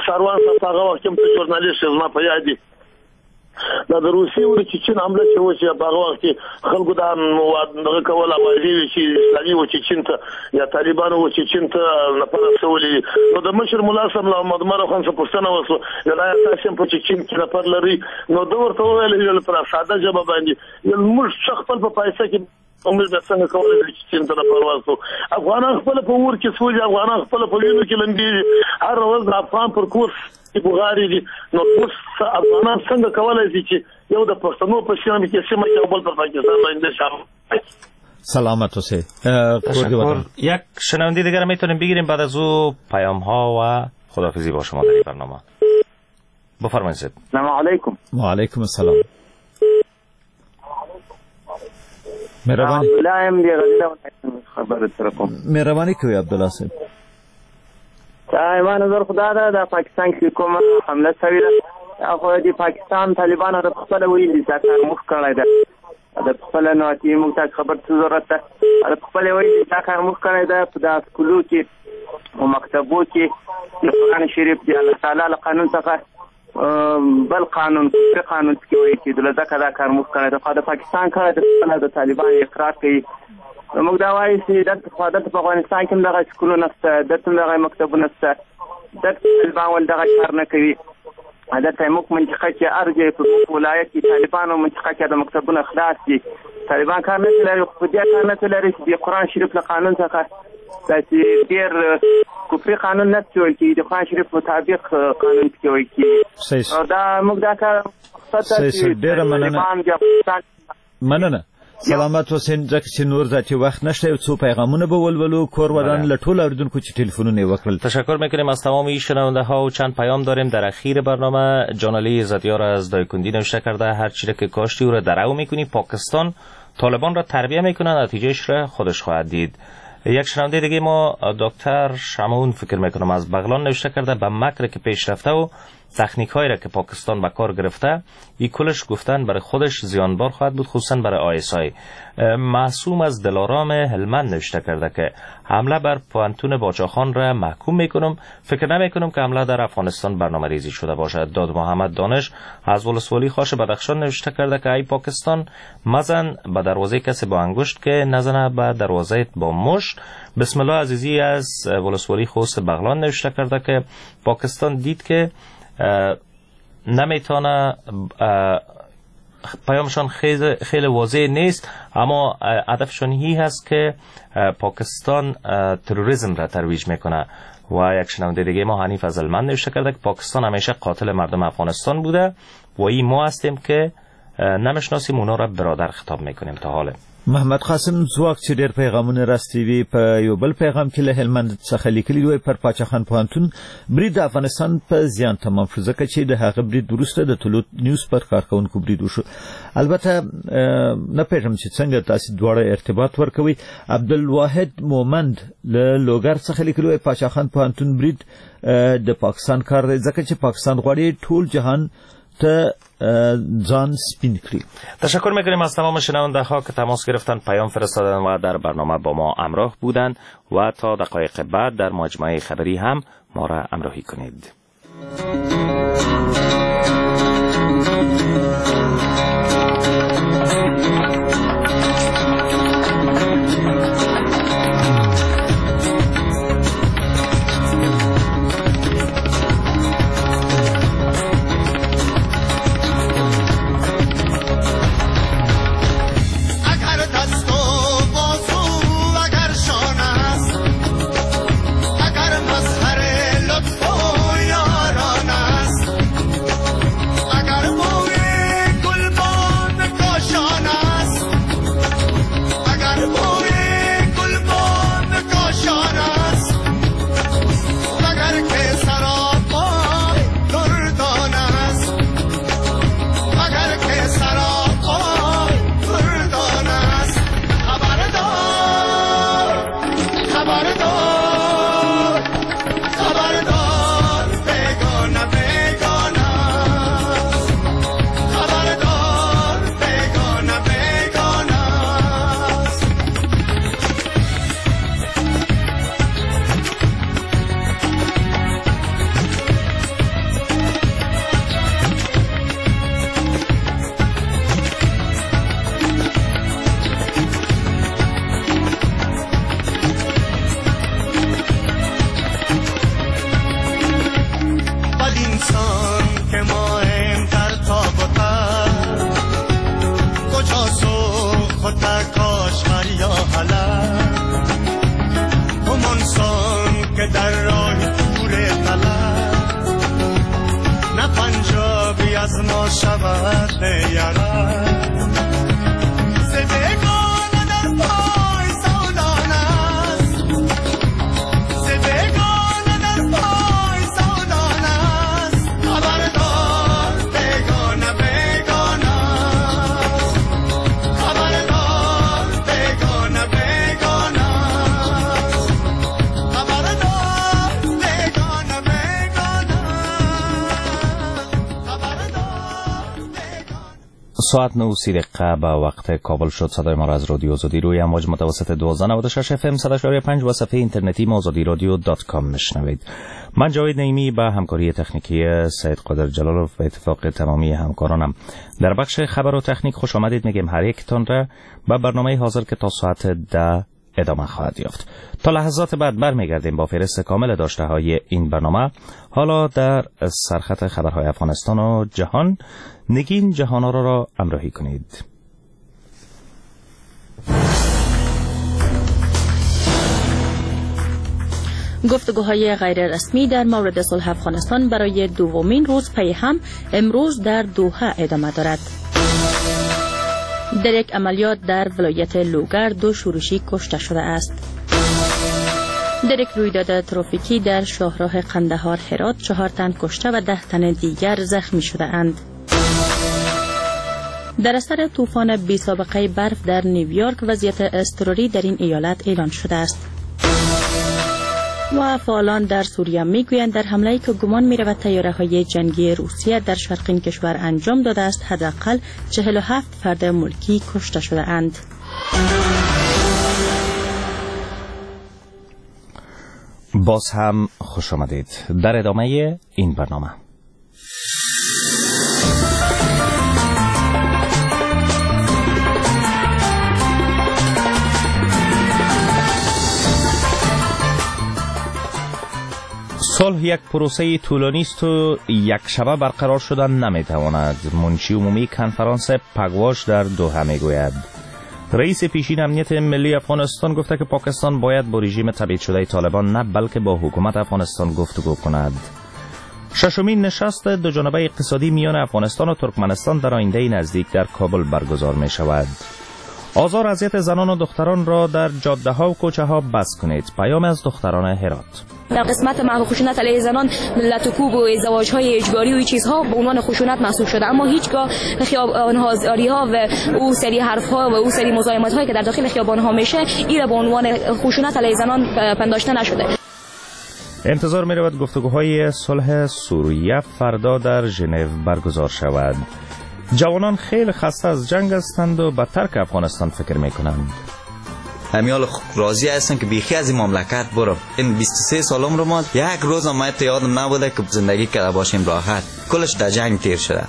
سروان صاحب، په هغه وخت کې هم ته ژورنالیست یې، زما په یاد دي دا د روسیې او د چیچن حمله چې وشي، په هغه وخت کې خلکو دا دغه کول اوازې وې چې اسلامي و چیچن ته یا طالبانو و چیچن ته نفر رسولي. نو د مشر ملا صاحب له محمد عمر خان څخه پوښتنه وشوه، ویل آیا تاسې هم په چیچن کې نفر لرئ؟ نو ده ورته وویل، ویل پر ساده ژبه باندې، ویل موږ څه خپل په پیسه کې موږ به څنګه کولی شو چې چین ته نفر واستوو؟ افغانان خپله په اور کې سوځي، افغانان خپله په وینو کې لمبېږي، هره ورځ د افغان پر کور بغارې دي. نو اوس افغانان څنګه کولی شي چې یو د پښتنو په سیمه کې سیمه کې او بل پر پاکستان باندې شامل؟
سلامت اوسئ.
تشکر. یک شنونده دیگر میتونیم بگیریم بعد از او پیام ها و خداحافظی با شما در این برنامه. بفرمایید.
سلام علیکم.
و علیکم السلام. مهرباني مهرباني کوي عبدالله صاحب.
ما نظر خدا ده د پاکستان کې کومه حمله شوې ده، خو د پاکستان طالبانو د خپل ویلي دا کار موږ کړی ده، د خپل نو چې موږ ته خبر څه ضرورت ده، د خپل ویلي دا کار موږ کړی ده. په دا سکولو کې او مکتبو کې د قرآن شریف د الله تعالی له قانون څخه بل قانون کفري قانون کې وایي چې ځکه دا کار موږ کړی ده. خو د پاکستان کړی ده، خپله د طالبانو اقرار کوي. موږ دا وایو چې دلته خو دلته په افغانستان کې هم دغه سکولونه شته، دلته هم دغه مکتبونه شته، دلته طالبان ولې دغه کار نه کوي؟ دلته موږ منطقه کې هر ځای په موږ ولایت کې طالبانو منطقه کې د مکتبونه خلاص دي، طالبان کار نه لري. خو په دې کار نه لري چې د قرآن شریف له قانون څخه داسې ډېر کفري قانون نه ویل کېږي، د قرآن شریف مطابق قانون پکې ویل کېږي. دا موږ دا کار مقصد ده چې
مننه مننه. سلامت اوسئ. ځکه چې نور ذاتي وخت نشته، یو څو پیغامونه به ولولو. کور ودان له ټولو اوریدونکو چې تلفنونه یې وکړل.
تشکر میکنیم از تمام این شنونده ها و چند پیام داریم در اخیر برنامه. جان علی زدیار از دایکندی نوشته کرده هر چی را که کاشتی او را درو میکنی، پاکستان طالبان را تربیه میکنه، نتیجهش را خودش خواهد دید. یک شنونده دیگه ما دکتر شمعون فکر میکنم از بغلان نوشته کرده به مکر که پیش رفته و تکنیک هایی را که پاکستان به کار گرفته ای کلش گفتن برای خودش زیانبار خواهد بود، خصوصا برای آی اس آی. معصوم از دلارام هلمند نوشته کرده که حمله بر پوهنتون باچاخان را محکوم میکنم، فکر نمیکنم که حمله در افغانستان برنامه ریزی شده باشد. داد محمد دانش از ولسوالی خاش بدخشان نوشته کرده که ای پاکستان مزن به دروازه کسی با انگشت که نزنه به دروازه با مشت. بسم الله عزیزی از ولسوالی خوست بغلان نوشته کرده که پاکستان دید که نمیتونه، پیامشان خیلی خیلی واضح نیست، اما هدفشان هی هست که پاکستان تروریسم را ترویج میکنه. و یک شنونده دیگه ما حنیف از المند نوشته کرده که پاکستان همیشه قاتل مردم افغانستان بوده و این ما هستیم که نمیشناسیم اونا را برادر خطاب میکنیم تا حاله.
محمد قاسم ځواک چې ډېر پیغامونه راستوي په یو بل پیغام کې له هلمند څخه لیکلي دی، پر پاچاخان پوهنتون برید د افغانستان په زیان تمام شو، ځکه چې د هغه برید وروسته د طلوع نیوز پر کارکوونکو برید وشو. البته نه پوهېږم چې څنګه تاسې دواړه ارتباط ورکوئ. عبدالواحد مومند له لوګر څخه لیکلي دی، پاچاخان پوهنتون برید د پاکستان کار دی، ځکه چې پاکستان غواړي ټول جهان ته ځان سپین کړي.
تشکر میکنیم از تمام شنونده ها که تماس گرفتن، پیام فرستادن و در برنامه با ما همراه بودند و تا دقایق بعد در مجموعه خبری هم ما را همراهی کنید.
شود یارا. ز بیگانه در پا
ساعت نه و سی دقیقه به وقت کابل شد. صدای ما را از رادیو آزادی روی امواج متوسط دوازده نود و شش اف ام صد و پنج و صفحه اینترنتی ما آزادی رادیو dot com میشنوید. من جاوید نعیمی به همکاری تکنیکی سید قادر جلالوف به اتفاق تمامی همکارانم در بخش خبر و تکنیک خوش آمدید میگیم هر یکتان را به برنامه حاضر که تا ساعت ده ادامه خواهد یافت. تا لحظات بعد برمیگردیم با فهرست کامل داشته های این برنامه. حالا در سرخط خبرهای افغانستان و جهان نگین جهان‌آرا را همراهی کنید.
گفتگوهای غیر رسمی در مورد صلح افغانستان برای دومین روز پی هم امروز در دوحه ادامه دارد. در یک عملیات در ولایت لوگر دو شورشی کشته شده است. در یک رویداد ترافیکی در شاهراه قندهار هرات چهار تن کشته و ده تن دیگر زخمی شده اند. در اثر طوفان بی سابقه برف در نیویورک وضعیت اضطراری در این ایالت اعلان شده است. و فعالان در سوریه میگویند در حمله‌ای که گمان می‌رود طیاره‌های جنگی روسیه در شرق این کشور انجام داده است حداقل چهل و هفت فرد ملکی کشته شده اند.
باز هم خوش آمدید در ادامه این برنامه. صلح یک پروسه طولانی است و یک شبه برقرار شدن نمیتواند. منشی عمومی کنفرانس پگواش در دوحه میگوید. رئیس پیشین امنیت ملی افغانستان گفته که پاکستان باید با رژیم تبعید شده طالبان نه بلکه با حکومت افغانستان گفتگو کند. ششمین نشست دو جانبه اقتصادی میان افغانستان و ترکمنستان در آینده نزدیک در کابل برگزار می شود. آزار اذیت زنان و دختران را در جاده ها و کوچه ها بس کنید. پیام از دختران هرات.
در قسمت محو خشونت علیه زنان لط و کوب و ازدواج های اجباری و چیزها به عنوان خشونت محسوب شده، اما هیچگاه خیابان ها ها و او سری حرف ها و او سری مزاحمت هایی که در داخل خیابان ها میشه این به عنوان خشونت علیه زنان پنداشته نشده.
انتظار می رود گفتگوهای صلح سوریه فردا در ژنو برگزار شود. جوانان خیلی خسته از جنگ هستند و به ترک افغانستان فکر میکنند.
همیال راضی هستم که بیخی از این مملکت برم. این بیست و سه سالم رو ما یک روز هم یادم نبوده که زندگی کرده باشیم راحت. کلش در جنگ تیر شده.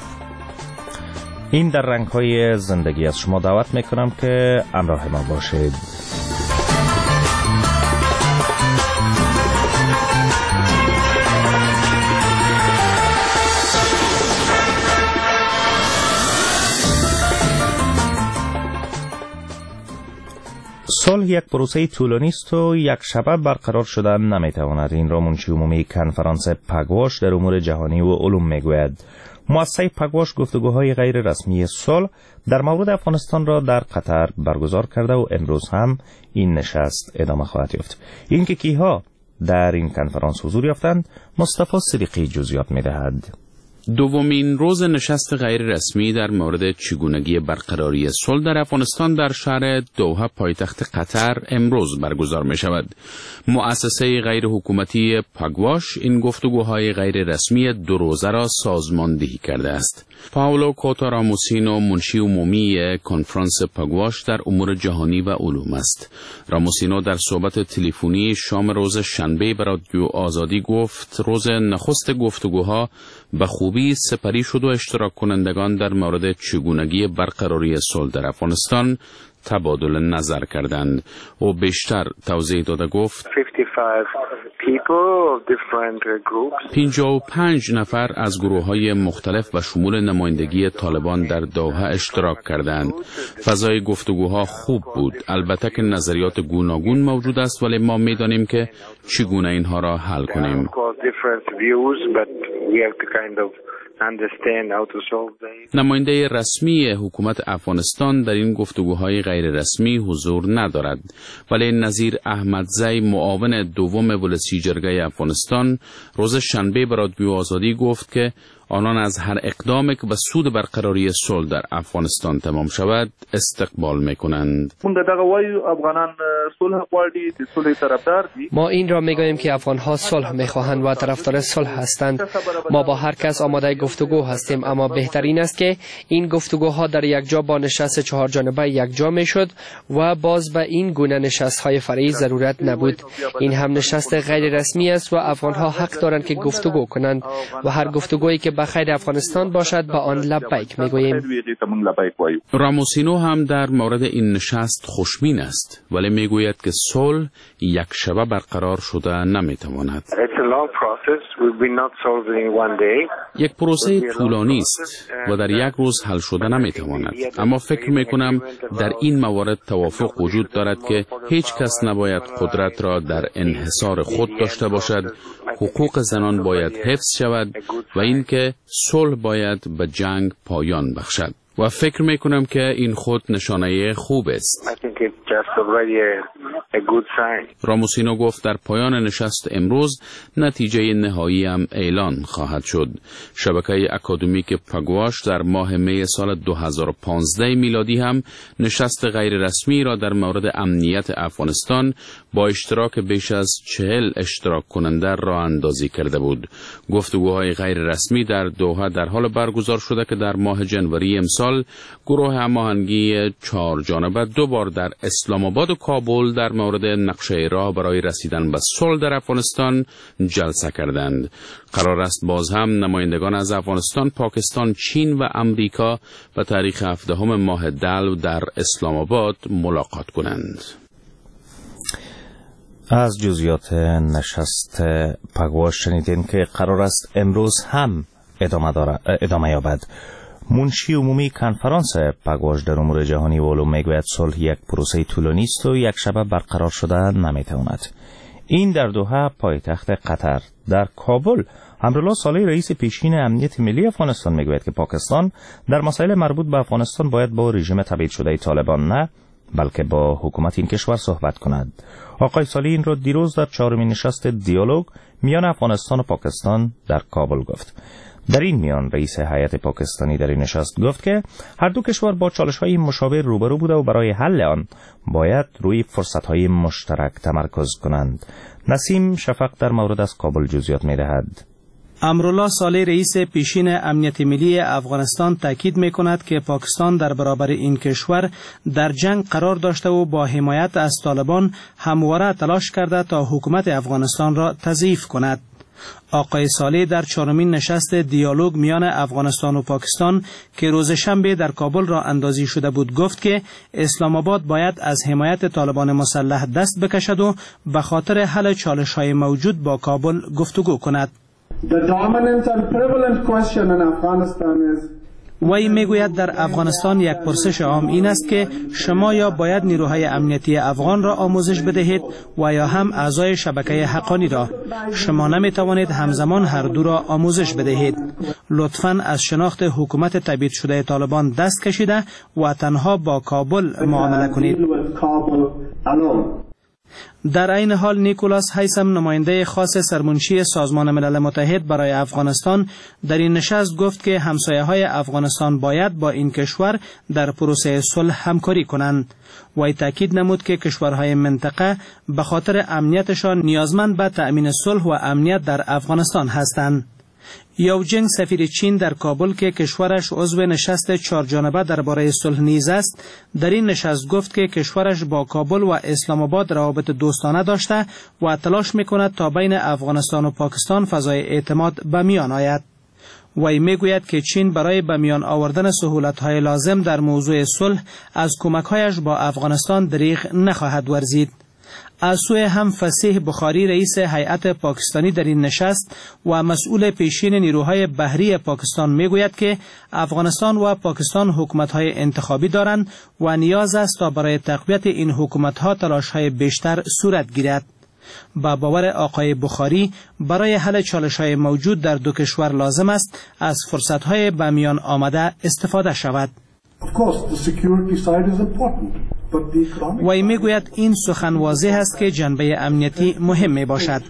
این در رنگ‌های زندگی از شما دعوت میکنم که همراه ما باشید. صلح یک پروسه طولانی است و یک شبه برقرار شدن نمیتواند. این را منشی عمومی کنفرانس پگواش در امور جهانی و علوم میگوید. مؤسسه پگواش گفتگوهای غیر رسمی صلح در مورد افغانستان را در قطر برگزار کرده و امروز هم این نشست ادامه خواهد یافت. اینکه کیها در این کنفرانس حضور یافتند مصطفی صدیقی جزئیات میدهد.
دومین روز نشست غیر رسمی در مورد چگونگی برقراری صلح در افغانستان در شهر دوحه پایتخت قطر امروز برگزار می شود. مؤسسه غیر حکومتی پاگواش این گفتگوهای غیر رسمی دو روزه را سازماندهی کرده است. پاولو کوتا راموسینو منشی عمومی کنفرانس پاگواش در امور جهانی و علوم است. راموسینو در صحبت تلفنی شام روز شنبه به رادیو آزادی گفت روز نخست گفتگوها به خوبی سپری شد و اشتراک کنندگان در مورد چگونگی برقراری صلح در افغانستان تبادل نظر کردند. او بیشتر توضیح داده گفت پنجاه و پنج نفر از گروه های مختلف و شمول نمایندگی طالبان در دوحه اشتراک کردند. فضای گفتگوها خوب بود. البته که نظریات گوناگون موجود است، ولی ما میدانیم که چگونه اینها را حل کنیم. نماینده رسمی حکومت افغانستان در این گفتگوهای غیر رسمی حضور ندارد، ولی نظیر احمدزی معاون دوم ولسی جرگه افغانستان روز شنبه به رادیو آزادی گفت که آنان از هر اقدامی که به سود برقراری صلح در افغانستان تمام شود استقبال میکنند.
ما این را میگوییم که افغانها صلح میخواهند و طرفدار صلح هستند. ما با هر کس آماده گفتگو هستیم، اما بهترین است که این گفتگوها در یک جا با نشست چهار جانبه یک جا میشد و باز به این گونه نشست های فرعی ضرورت نبود. این هم نشست غیر رسمی است و افغانها حق دارند که گفتگو کنند و هر گفتگویی که به خیر افغانستان باشد با آن لبیک میگوییم.
راموسینو هم در مورد این نشست خوشبین است، ولی میگوید که صلح یک شبه برقرار شده نمیتواند. یک پروسه طولانی است و در یک روز حل شده نمیتواند، اما فکر میکنم در این موارد توافق وجود دارد که هیچ کس نباید قدرت را در انحصار خود داشته باشد، حقوق زنان باید حفظ شود و اینکه صلح باید به جنگ پایان بخشد و فکر میکنم که این خود نشانه خوب است. راموسینو گفت در پایان نشست امروز نتیجه نهایی هم اعلان خواهد شد. شبکه اکادمیک پگواش در ماه می سال دو هزار و پانزده میلادی هم نشست غیر رسمی را در مورد امنیت افغانستان با اشتراک بیش از چهل اشتراک کننده راه اندازی کرده بود. گفتگوهای غیر رسمی در دوحه در حال برگزار شده که در ماه جنوری امسال گروه هماهنگی چهار جانبه دو بار در اسلام آباد و کابل در مورد نقشه راه برای رسیدن به صلح در افغانستان جلسه کردند. قرار است باز هم نمایندگان از افغانستان، پاکستان، چین و امریکا به تاریخ هفدهم ماه دلو در اسلام آباد ملاقات کنند.
از جزئیات نشست پگواش شنیدین که قرار است امروز هم ادامه داره، ادامه یابد. منشی عمومی کنفرانس پگواش در امور جهانی و علوم میگوید صلح یک پروسه طولانی است و یک شبه برقرار شده نمیتواند. این در دوحه پایتخت قطر. در کابل امرالله صالح رئیس پیشین امنیت ملی افغانستان میگوید که پاکستان در مسائل مربوط به افغانستان باید با رژیم تبعید شده طالبان نه بلکه با حکومت این کشور صحبت کند. آقای صالح این را دیروز در چهارمین نشست دیالوگ میان افغانستان و پاکستان در کابل گفت. در این میان رئیس هیئت پاکستانی در این نشست گفت که هر دو کشور با چالش‌های مشابه روبرو بوده و برای حل آن باید روی فرصت‌های مشترک تمرکز کنند. نسیم شفق در مورد از کابل جزئیات می‌دهد.
امرالله صالح رئیس پیشین امنیت ملی افغانستان تاکید می‌کند که پاکستان در برابر این کشور در جنگ قرار داشته و با حمایت از طالبان همواره تلاش کرده تا حکومت افغانستان را تضعیف کند. آقای صالح در چهارمین نشست دیالوگ میان افغانستان و پاکستان که روز شنبه در کابل را اندازی شده بود گفت که اسلام آباد باید از حمایت طالبان مسلح دست بکشد و به خاطر حل چالش‌های موجود با کابل گفتگو کند.
The dominant and prevalent question in Afghanistan is
وی میگوید در افغانستان یک پرسش عام این است که شما یا باید نیروهای امنیتی افغان را آموزش بدهید و یا هم اعضای شبکه حقانی را. شما نمی توانید همزمان هر دو را آموزش بدهید. لطفاً از شناخت حکومت تبعید شده طالبان دست کشیده و تنها با کابل معامله کنید. در عین حال نیکولاس هیسم نماینده خاص سرمنشی سازمان ملل متحد برای افغانستان در این نشست گفت که همسایه های افغانستان باید با این کشور در پروسه صلح همکاری کنند. وی تاکید نمود که کشورهای منطقه به خاطر امنیتشان نیازمند به تأمین صلح و امنیت در افغانستان هستند. یاو جنگ سفیر چین در کابل که کشورش عضو نشست چهار جانبه درباره صلح نیز است، در این نشست گفت که کشورش با کابل و اسلام آباد روابط دوستانه داشته و تلاش میکند تا بین افغانستان و پاکستان فضای اعتماد به میان آید. وی میگوید که چین برای به میان آوردن سهولت‌های لازم در موضوع صلح از کمک‌هایش با افغانستان دریغ نخواهد ورزید. از سوی هم فصیح بخاری رئیس هیئت پاکستانی در این نشست و مسئول پیشین نیروهای بحری پاکستان میگوید که افغانستان و پاکستان حکومت‌های انتخابی دارند و نیاز است تا برای تقویت این حکومت‌ها تلاش‌های بیشتر صورت گیرد. با باور آقای بخاری برای حل چالش‌های موجود در دو کشور لازم است از فرصت‌های به میان آمده استفاده شود.
Of course, the security side is important.
وی میگوید این سخن واضح است که جنبه امنیتی مهم می باشد،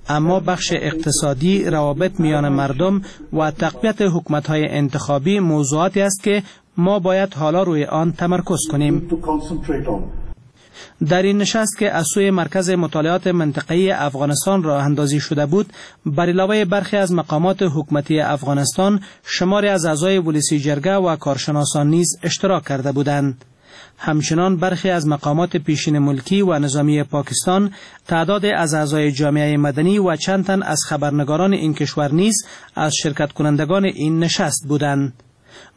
اما بخش اقتصادی، روابط میان مردم و تقویت حکومت‌های انتخابی موضوعاتی است که ما باید حالا روی آن تمرکز کنیم. در این نشست که از سوی مرکز مطالعات منطقه‌ای افغانستان راه اندازی شده بود، بر علاوه برخی از مقامات حکومتی افغانستان، شماری از اعضای ولسی جرگه و کارشناسان نیز اشتراک کرده بودند. همچنان برخی از مقامات پیشین ملکی و نظامی پاکستان، تعداد از اعضای جامعه مدنی و چند تن از خبرنگاران این کشور نیز از شرکت کنندگان این نشست بودند.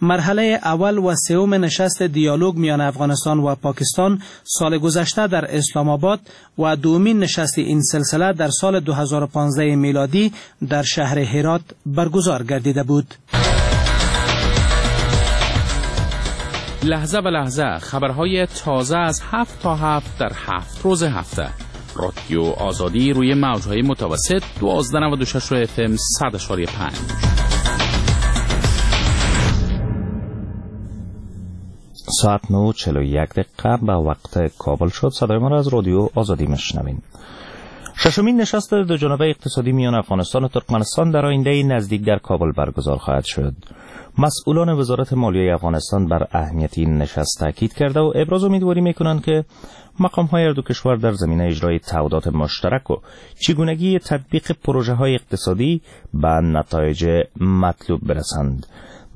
مرحله اول و سوم نشست دیالوگ میان افغانستان و پاکستان سال گذشته در اسلام آباد و دومین نشست این سلسله در سال دو هزار و پانزده میلادی در شهر هرات برگزار گردیده بود.
لحظه به لحظه خبرهای تازه از هفت تا هفت در هفت روز هفته. رادیو آزادی روی موجهای متوسط دوازده نود و شش اف ام صد و پنج.
ساعت نه و چهل و یک دقیقه به وقت کابل شد. صدای ما را از رادیو آزادی میشنوین. ششمین نشست دو جانبه اقتصادی میان افغانستان و ترکمنستان در آینده نزدیک در کابل برگزار خواهد شد. مسئولان وزارت مالیه افغانستان بر اهمیت این نشست تاکید کرده و ابراز امیدواری میکنند که مقام های دو کشور در زمینه اجرای تعهدات مشترک و چگونگی تطبیق پروژه های اقتصادی به نتایج مطلوب برسند.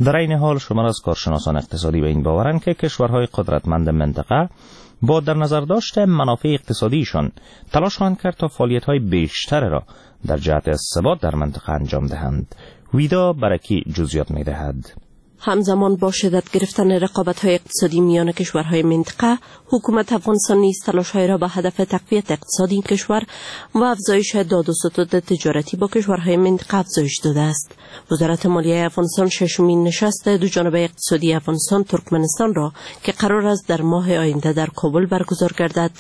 در این حال شمار از کارشناسان اقتصادی به این باورند که کشورهای قدرتمند منطقه با در نظر داشت منافع اقتصادیشان تلاش خواهند کرد تا فعالیت‌های بیشتر را در جهت ثبات در منطقه انجام دهند. ویدا برکی جزئیات می‌دهد.
همزمان با شدت گرفتن رقابت‌های اقتصادی میان کشورهای منطقه، حکومت افغانستان نیز تلاش‌های را به هدف تقویت اقتصادی این کشور و افزایش داد و ستد تجارتی با کشورهای منطقه افزایش داده است. وزارت مالیه افغانستان ششمین نشست دو جانبه اقتصادی افغانستان ترکمنستان را که قرار است در ماه آینده در کابل برگزار گردد،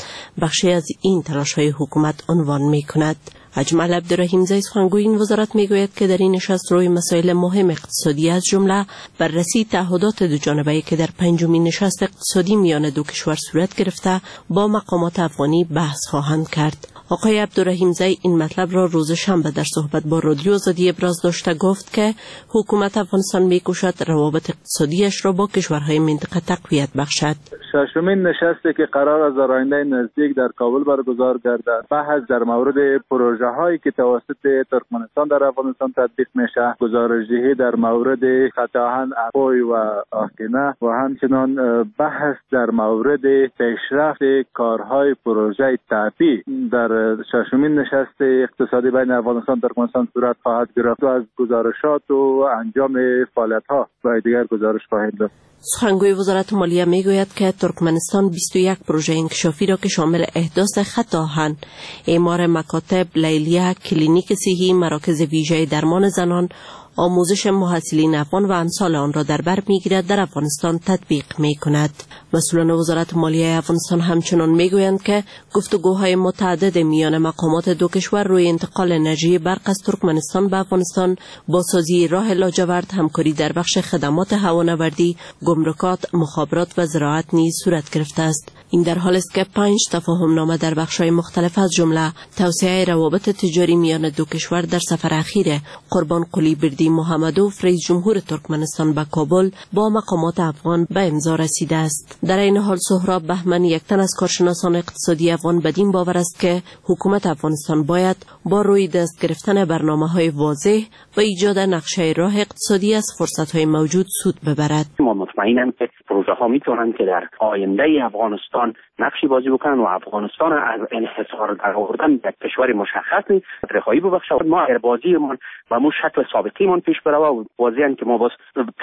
بخشی از این تلاش‌های حکومت عنوان می‌کند. اجمل عبدالرحیم زی سخنگوی این وزارت میگوید که در این نشست روی مسائل مهم اقتصادی از جمله بررسی تعهدات دو جانبه که در پنجمین نشست اقتصادی میان دو کشور صورت گرفته با مقامات افغانی بحث خواهند کرد. آقای عبدالرحیم زی این مطلب را روز شنبه در صحبت با رادیو آزادی ابراز داشته گفت که حکومت افغانستان میکوشد روابط اقتصادیش را با کشورهای منطقه تقویت بخشد.
ششمین نشستی که قرار است در آینده نزدیک در کابل برگزار گردد، بحث در مورد پروژه هایی که توسط ترکمنستان در افغانستان تطبیق میشه، گزارش دهی در مورد خط آهن اپوی و آقینه و همچنان بحث در مورد پیشرفت کارهای پروژه تاپی در ششمین نشست اقتصادی بین افغانستان و ترکمنستان صورت خواهد گرفت و از گزارشات و انجام فعالیت ها و دیگر گزارش خواهیم داد.
سخنگوی وزارت مالیه میگوید که ترکمنستان بیست و یک پروژه انکشافی را که شامل احداث خط آهن، اعمار مکاتب، لیلیه، کلینیک صحی، مراکز ویژه درمان زنان، آموزش محصلین افغان و امثال آن را در بر میگیرد در افغانستان تطبیق میکند. مسئولان وزارت مالیه افغانستان همچنان میگویند که گفتگوهای متعدد میان مقامات دو کشور روی انتقال انرژی برق از ترکمنستان به افغانستان، بازسازی راه لاجورد، همکاری در بخش خدمات هوانوردی، گمرکات، مخابرات و زراعت نیز صورت گرفته است. این در حال است که پنج تفاهم نامه در بخش‌های مختلف از جمله توسعه روابط تجاری میان دو کشور در سفر اخیر قربان قلی بردی محمدوف رئیس جمهور ترکمنستان به کابل با مقامات افغان به امضا رسیده است. در این حال سهراب بهمن، یک تن از کارشناسان اقتصادی افغان، بدین باور است که حکومت افغانستان باید با روی دست گرفتن برنامه‌های واضح و ایجاد نقشه راه اقتصادی از فرصت‌های موجود سود ببرد.
ما مطمئنم که پروژه ها میتونن که در آینده افغانستان نقشی بازی بکنن و افغانستان از انحصار در آوردن در کشور مشخص رهایی ببخشه. ما اگر بازیمان و مو شکل سابقیمان پیش بره و واضحاً که ما باز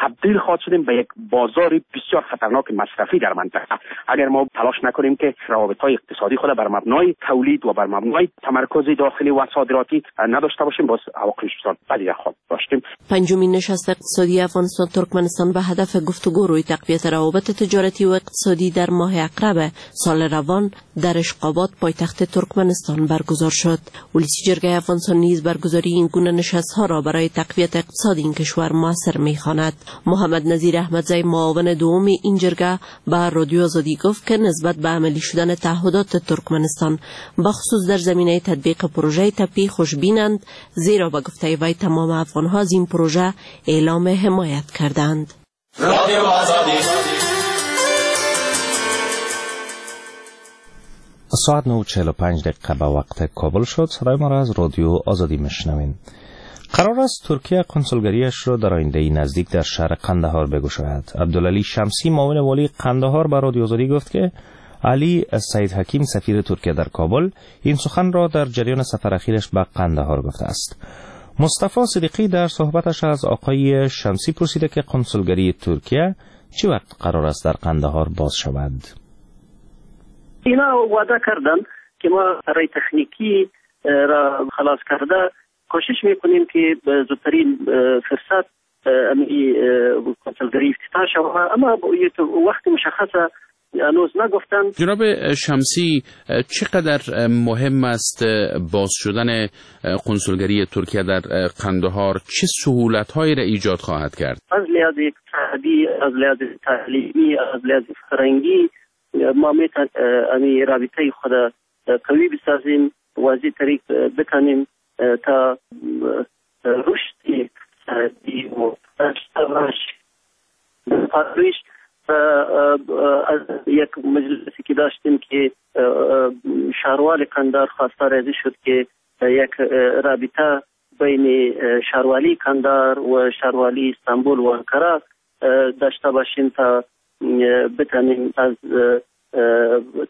تبدیل خواهد شدیم به یک بازار بسیار خطرناک مصرفی در منطقه. اگر ما تلاش نکنیم که روابط های اقتصادی خود بر مبنای تولید و بر مبنای تمرکز داخلی و صادراتی نداشته باشیم، باز عواقبش بسیار بدی خواهد داشتیم.
پنجمین نشست اقتصادی افغانستان ترکمنستان به هدف گفتگو روی تقویت روابط تجارتی و اقتصادی در ماه عقرب نوامبر سال روان در اشقابات پایتخت ترکمنستان برگزار شد. ولسی جرگه افغانستان نیز برگزاری این گونه نشست‌ها را برای تقویت اقتصاد این کشور موثر می‌خواند. محمد نظیر احمدزی معاون دوم این جرگه به رادیو آزادی گفت که نسبت به عملی شدن تعهدات ترکمنستان بخصوص در زمینه تطبیق پروژه تپی خوشبینند، زیرا به گفته وی تمام افغان‌ها از این پروژه اعلام حمایت کردند.
رادیو آزادی. ساعت نه و چهل و پنج دقیقه به وقت کابل شد. صدای ما را از رادیو آزادی میشنوین. قرار است ترکیه کنسولگریش را در آینده نزدیک در شهر قندهار بگشاید. عبدالعلی شمسی معاون والی قندهار به رادیو آزادی گفت که علی سید حکیم سفیر ترکیه در کابل این سخن را در جریان سفر اخیرش به قندهار گفته است. مصطفی صدیقی در صحبتش از آقای شمسی پرسیده که کنسولگری ترکیه چه وقت قرار است در قندهار باز شود.
اینا وعده کردن که ما رای تکنیکی را خلاص کرده کوشش میکنیم که به زودترین فرصت امی کنسولگری افتتاح شود، اما وقت مشخصه هنوز نگفتن.
جناب شمسی، چقدر مهم است باز شدن کنسولگری ترکیه در قندهار؟ چه سهولت‌هایی را ایجاد خواهد کرد؟
از لحاظ اقتصادی، از لحاظ تعلیمی، از لحاظ فرهنگی ما میتونیم امی رابطه خود قوی بسازیم و از این طریق بتانیم تا رشد اقتصادی و پرورش. از یک مجلسی که داشتیم که شهروال قندار خواستار ازی شد که یک رابطه بین شهروالی قندار و شهروالی استانبول و انقره داشته باشیم تا بتانیم از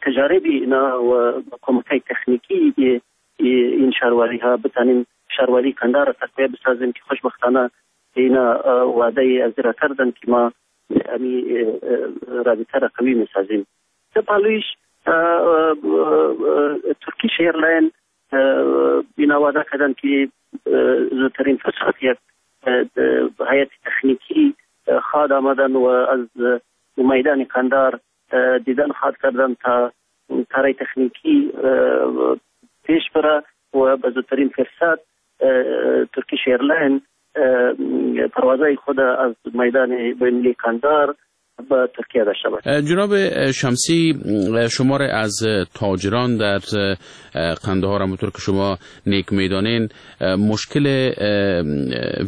تجارب اینا و کمک تکنیکی این شهروالی ها بتانیم شهروالی قندار را تقویت بسازیم که خوشبختانه اینا وعده از را کردن که ما امی رابطه را قوی میسازیم. پالویش Turkish Airline اینا وعده کردن که زودترین فرصت یک هیئت تکنیکی خواد آمدن و از میدان قندار دیدن خواد کردن تا کارای تکنیکی پیش بره و به زودترین فرصت Turkish Airline پروازهای خود از میدان بین‌المللی قندار به ترکیه داشته باشد.
جناب شمسی، شمار از تاجران در قندهار همونطور که شما نیک میدانین مشکل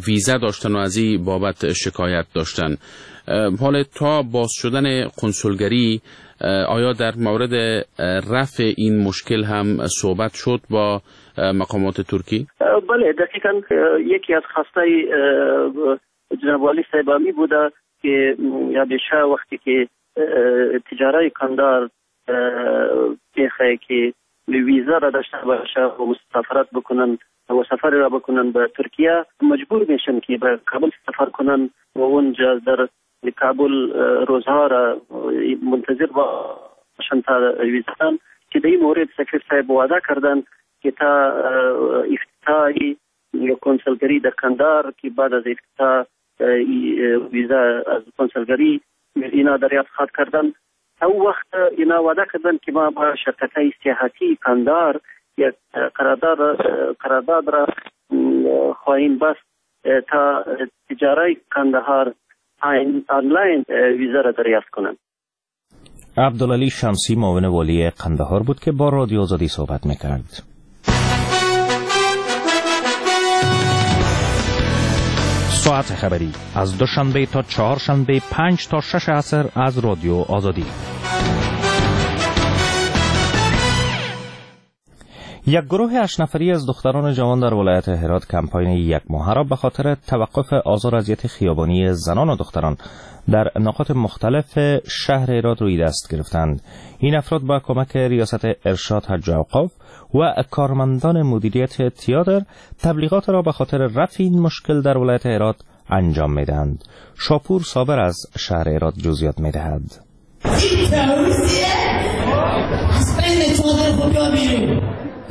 ویزا داشتن و از این بابت شکایت داشتن. حال تا باز شدن کنسولگری آیا در مورد رفع این مشکل هم صحبت شد با مقامات ترکی؟
بله، دقیقا یکی از خواسته جناب والی صاحب می بوده که همیشه وقتی که تجارای قندار میخواه که ویزا را داشته باشه و مسافرت بکنن و سفر را بکنن به ترکیه، مجبور میشن که به کابل سفر کنن و اونجا در کابل روزها را منتظر باشن تا ویزا. که در این مورد سفیر صاحب وعده کردن که تا افتتاح کنسولگری در قندار که بعد از افتتاح ویزا از کنسولگری اینا دریافت خواهد کردن، او وقت اینا وعده کردن که ما با شرکت های سیاحتی قندار یک قرارداد قرارداد را خواهیم بست تا تجارای قندهار آنلاین ویزا را دریافت کنند.
عبدالعلی شمسی معاون والی قندهار بود که با رادیو آزادی صحبت میکرد. ساعت خبری از دوشنبه تا چهارشنبه پنج تا شش عصر از رادیو آزادی. یک گروه هشت نفری از دختران جوان در ولایت هرات کمپاین یک ماهه را به خاطر توقف آزار اذیت خیابانی زنان و دختران در نقاط مختلف شهر هرات روی دست گرفتند. این افراد با کمک ریاست ارشاد حج و اوقاف و کارمندان مدیریت تئاتر تبلیغات را به خاطر رفع این مشکل در ولایت هرات انجام می‌دهند. شاپور صابر از شهر هرات جزئیات می‌دهد.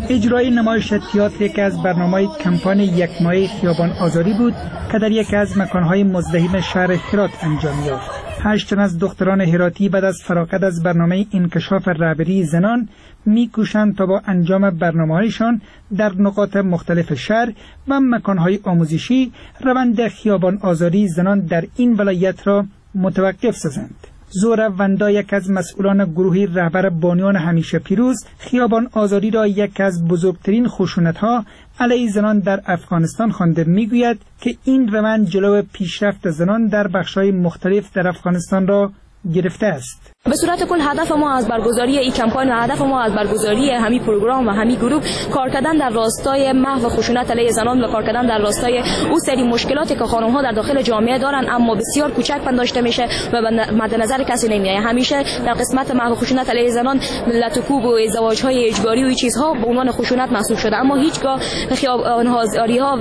اجرای نمایش تئاتر یکی از برنامه‌های کمپاین یک ماهه خیابان آزادی بود که در یکی از مکان‌های مزدحم شهر هرات انجام یافت. هشت تن از دختران هراتی بعد از فراغت از برنامه انکشاف رهبری زنان میکوشند تا با انجام برنامه‌هایشان در نقاط مختلف شهر و مکان‌های آموزشی روند خیابان آزاری زنان در این ولایت را متوقف سازند. زهره وندا، یک از مسئولان گروه رهبر بانیان همیشه پیروز، خیابان آزاری را یک از بزرگترین خشونت‌ها علیه زنان در افغانستان خوانده میگوید که این روند جلو پیشرفت زنان در بخش‌های مختلف در افغانستان را گرفته است.
به صورت کل هدف ما از برگزاری این کمپاین و هدف ما از برگزاری همین پروگرام و همین گروه کار کردن در راستای محو خشونت علیه زنان و کار کردن در راستای او سری مشکلاتی که خانم ها در داخل جامعه دارن اما بسیار کوچک پنداشته میشه و مد نظر کسی نمیاد. همیشه در قسمت محو خشونت علیه زنان لت و کوب و ازدواج های اجباری و این چیزها به عنوان خشونت محسوب شده، اما هیچگاه خیابان ها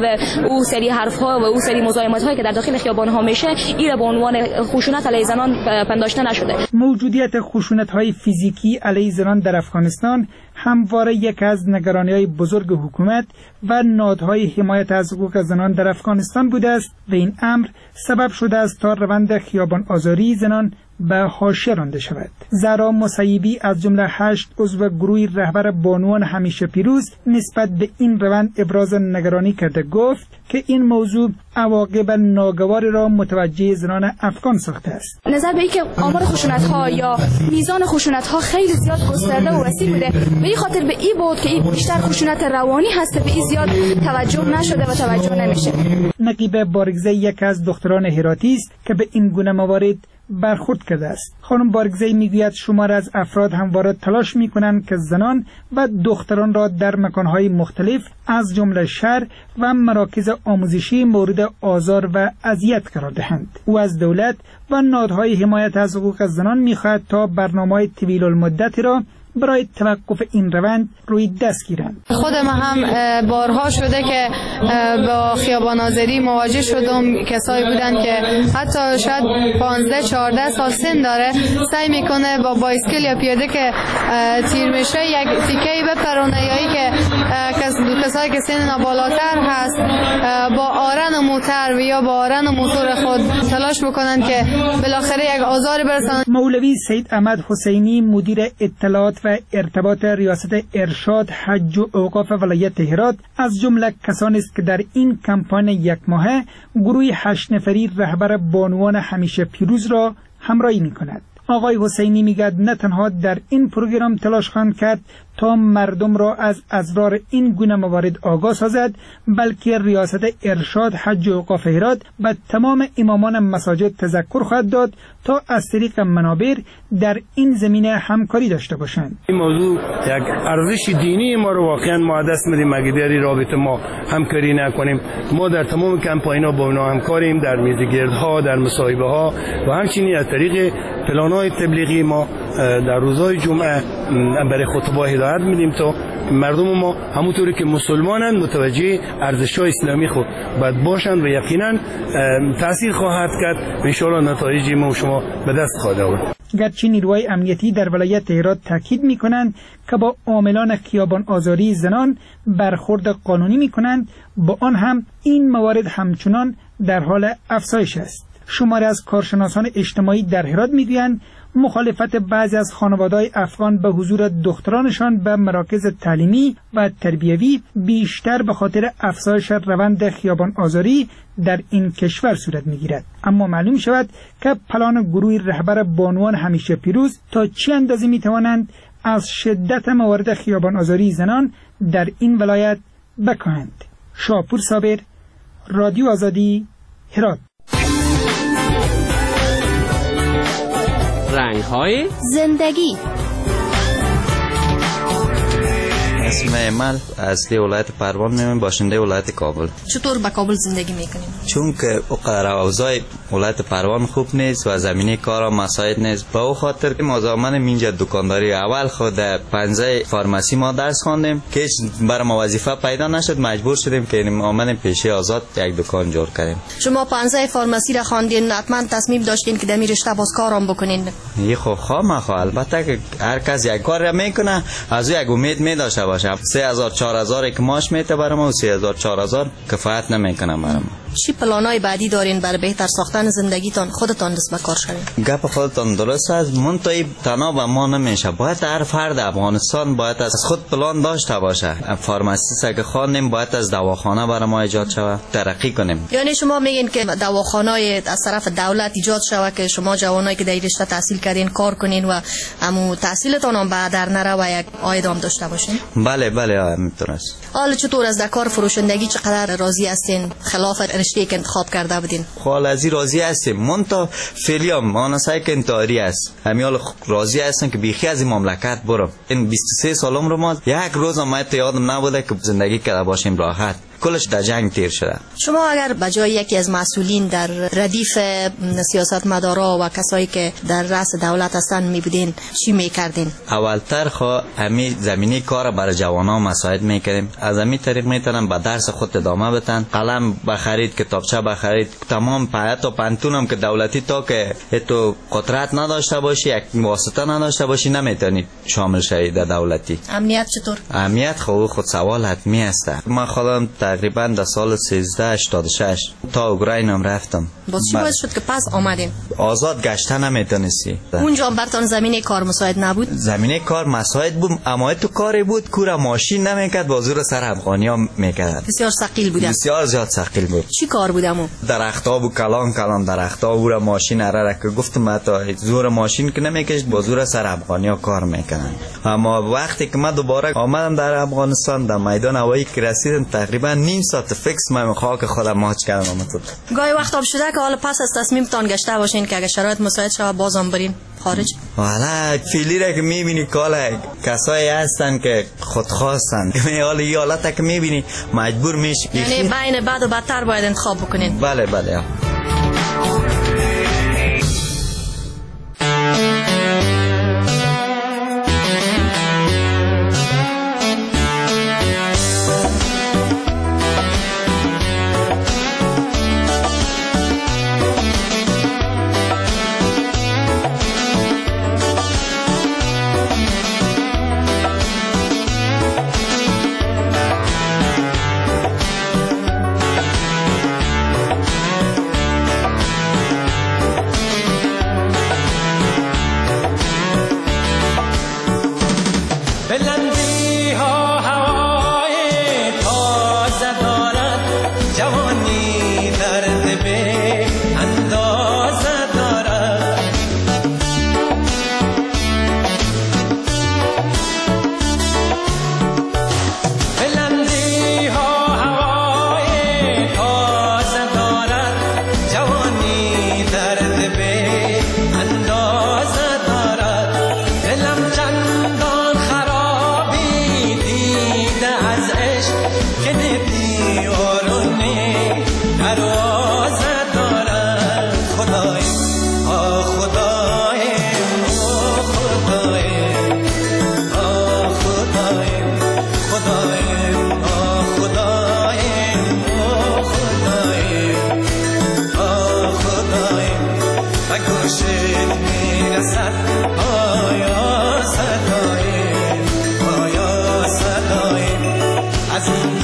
و او سری حرف ها و او سری مزاحمت هایی که در داخل خیابان ها میشه این به عنوان خشونت علیه زنان پنداشته نشده.
موجودیت خشونت‌های فیزیکی علیه زنان در افغانستان همواره یک از نگرانی‌های بزرگ حکومت و نهادهای حمایت از حقوق زنان در افغانستان بوده است و این امر سبب شده است تا روند خیابان آزاری زنان به حاشیه رانده شود. زهرا مسیبی از جمله هشت عضو گروه رهبر بانوان همیشه پیروز نسبت به این روند ابراز نگرانی کرده گفت که این موضوع عواقب ناگوار را متوجه زنان افغان ساخته است.
نظر به اینکه آمار خشونت ها یا میزان خشونت ها خیلی زیاد گسترده و وسیع بوده، به این خاطر به این بود که این بیشتر خشونت روانی هست، به این زیاد توجه نشده و توجه نمیشه.
نقیب بارگزی یک از دختران هراتی است که به این گونه موارد برخورد کرده است. خانم بارگزی میگوید شمار از افراد همواره تلاش میکنند که زنان و دختران را در مکانهای مختلف از جمله شهر و مراکز آموزشی مورد آزار و اذیت قرار دهند. او از دولت و نهادهای حمایت از حقوق زنان میخواهد تا برنامه‌های طویل المدت را برای توقف این روند روی دست گیرند.
خود ما هم بارها شده که با خیابان آزاری مواجه شدم. کسایی بودن که حتی شاید پانزده چهارده سال سن داره، سعی میکنه با بایسکل یا پیاده که تیر میشه یک تیکه‌ای بپرونه، یا ای که کسایی که سن بالاتر هست با آرن و موتر و یا با آرن و موتور خود تلاش بکنن که بالاخره یک آزار برسن.
مولوی سید احمد حسینی، مدیر اطلاعات و ارتباط ریاست ارشاد حج و اوقاف ولایت هرات، از جمله کسانی است که در این کمپاین یک ماهه گروه هشت نفری رهبر بانوان همیشه پیروز را همراهی می‌کند. آقای حسینی میگد نه تنها در این پروگرام تلاش خواهند کرد تا مردم را از اضرار این گونه موارد آگاه سازد، بلکه ریاست ارشاد حج و اوقاف هرات به تمام امامان مساجد تذکر خواهد داد تا از طریق منابر در این زمینه همکاری داشته باشند.
این موضوع یک ارزش دینی ما رو واقعا ما دست میدیم اگه در این رابطه ما همکاری نکنیم. ما در تمام کمپاین‌ها با اونا همکاریم، در میزگردها، در مصاحبه ها و همچنین از طریق پلان‌های تبلیغی ما در روزهای جمعه برای خطبه هدایت میدیم تا مردم ما همونطوری که مسلمانند متوجه ارزش‌های اسلامی خود باید باشند و یقینا تاثیر خواهد کرد و انشاءالله نتایج ما و شما به دست خواهد آورد.
گرچه نیروهای امنیتی در ولایت هرات تاکید میکنند که با عاملان خیابان آزاری زنان برخورد قانونی میکنند، با آن هم این موارد همچنان در حال افزایش است. شماری از کارشناسان اجتماعی در هرات میگویند مخالفت بعضی از خانواده‌های افغان به حضور دخترانشان به مراکز تعلیمی و تربیوی بیشتر به خاطر افزایش روند خیابان آزاری در این کشور صورت می‌گیرد. اما معلوم شود که پلان گروه رهبر بانوان همیشه پیروز تا چه اندازه می‌توانند از شدت موارد خیابان آزاری زنان در این ولایت بکاهند. شاپور صابر، رادیو آزادی، هرات.
رنگ‌های
زندگی.
اسم من اصلی ولایت پروان میمون، باشنده ولایت کابل.
چطور به کابل زندگی میکنیم؟
چون که اوقدر اوضاع ولایت پروان خوب نیست و زمینه کارا مساعد نیست، به او خاطر ما زمان اینجا دکانداری اول خود پنزه فارمسی ما درس خواندیم که بر ما وظیفه پیدا نشد، مجبور شدیم که آمدیم پیشه آزاد یک دکان جور کردیم.
شما پنزه فارمسی را خواندین، حتما تصمیم داشتین که در این رشته باز کارام بکنین؟
یه خو خواه خو البته که هر کس یک کار را میکنه از او یک امید می داشته باشه. سه هزار چهار هزار یک ماش میته برام و سه هزار چهار هزار کفایت نمیکنه برام.
چی پلانای بعدی دارین برای بهتر ساختن زندگیتان خودتان دست به کار شوین؟
گپ خودتان درست است، منتهی تنها به ما نمیشه، باید هر فرد افغانستان باید از خود پلان داشته باشه. pharmacist که خواندیم باید از دواخانه برای ما ایجاد شود، ترقی کنیم.
یعنی شما میگین که دواخانه از طرف دولت ایجاد شود که شما جوانایی که در رشته تحصیل کردین کار کنین و امو تحصیلتان هم به در نره و یک عاید هم داشته باشین؟
بله بله میتونست.
حالا چطور از در کار فروشندگی چقدر راضی هستین خلاف رشته که انتخاب کرده بودین؟
حالا از راضی هستیم، من تا فعلی هم آن سعی که انتحاری است، همین حال راضی هستم که بیخی از این مملکت برم. این بیست و سه سالم رو ما یک روز هم یادم نبوده که زندگی کرده باشیم راحت، کلش در جنگ تیر شده.
شما اگر به جای یکی از مسئولین در ردیف سیاستمدارا و کسایی که در رأس دولت هستن می بودین چی میکردین؟
اولتر خو همی زمینه کار برای جوانان مساعد میکردیم، از همی طریق میتونن به درس خود ادامه بدن، قلم بخرید، کتابچه بخرید، تمام پایت و پنتونم که دولتی تا که تو قدرت نداشته باشی، یک واسطه نداشته باشی نمیتونی شامل شوی در دولتی.
امنیت چطور؟
امنیت خو خود سوال حتمی است. من خودم تقریبا در سال سیزده هشتاد و شش تا اوکراین هم رفتم.
باز چی باعث شد که پس آمدین؟
آزاد گشتن نمیتونستی.
اونجا براتون زمینه کار مساعد نبود؟
زمینه کار مساعد بود، اما تو کاری بود کورا ماشین نمیکرد، بازور سر افغانی ها میکرد.
بسیار ثقیل بود.
بسیار زیاد ثقیل بود.
چی کار بود امو؟
درخت‌ها بود، کلان کلان درخت‌ها بود، ماشین اره که گفتم حتی زور ماشین که نمیکشد، بازور سر افغانی ها کار میکنن. اما وقتی که من دوباره آمدم در افغانستان، در میدان هوایی که رسیدم تقریبا نیم ساعت فکس من خاک خودم ماچ کردم.
گاهی وقت هم شده که حالا پس از تصمیمتان گشته باشین که اگه شرایط مساعد شود بازم برین خارج؟
والا فیلی را که میبینی کالا کسایی هستن که خودخواستن، حالا این حالت که میبینی مجبور میشی،
یعنی بین بد و بدتر باید انتخاب بکنین.
بله بله.
آیا صدای آیا صدای از این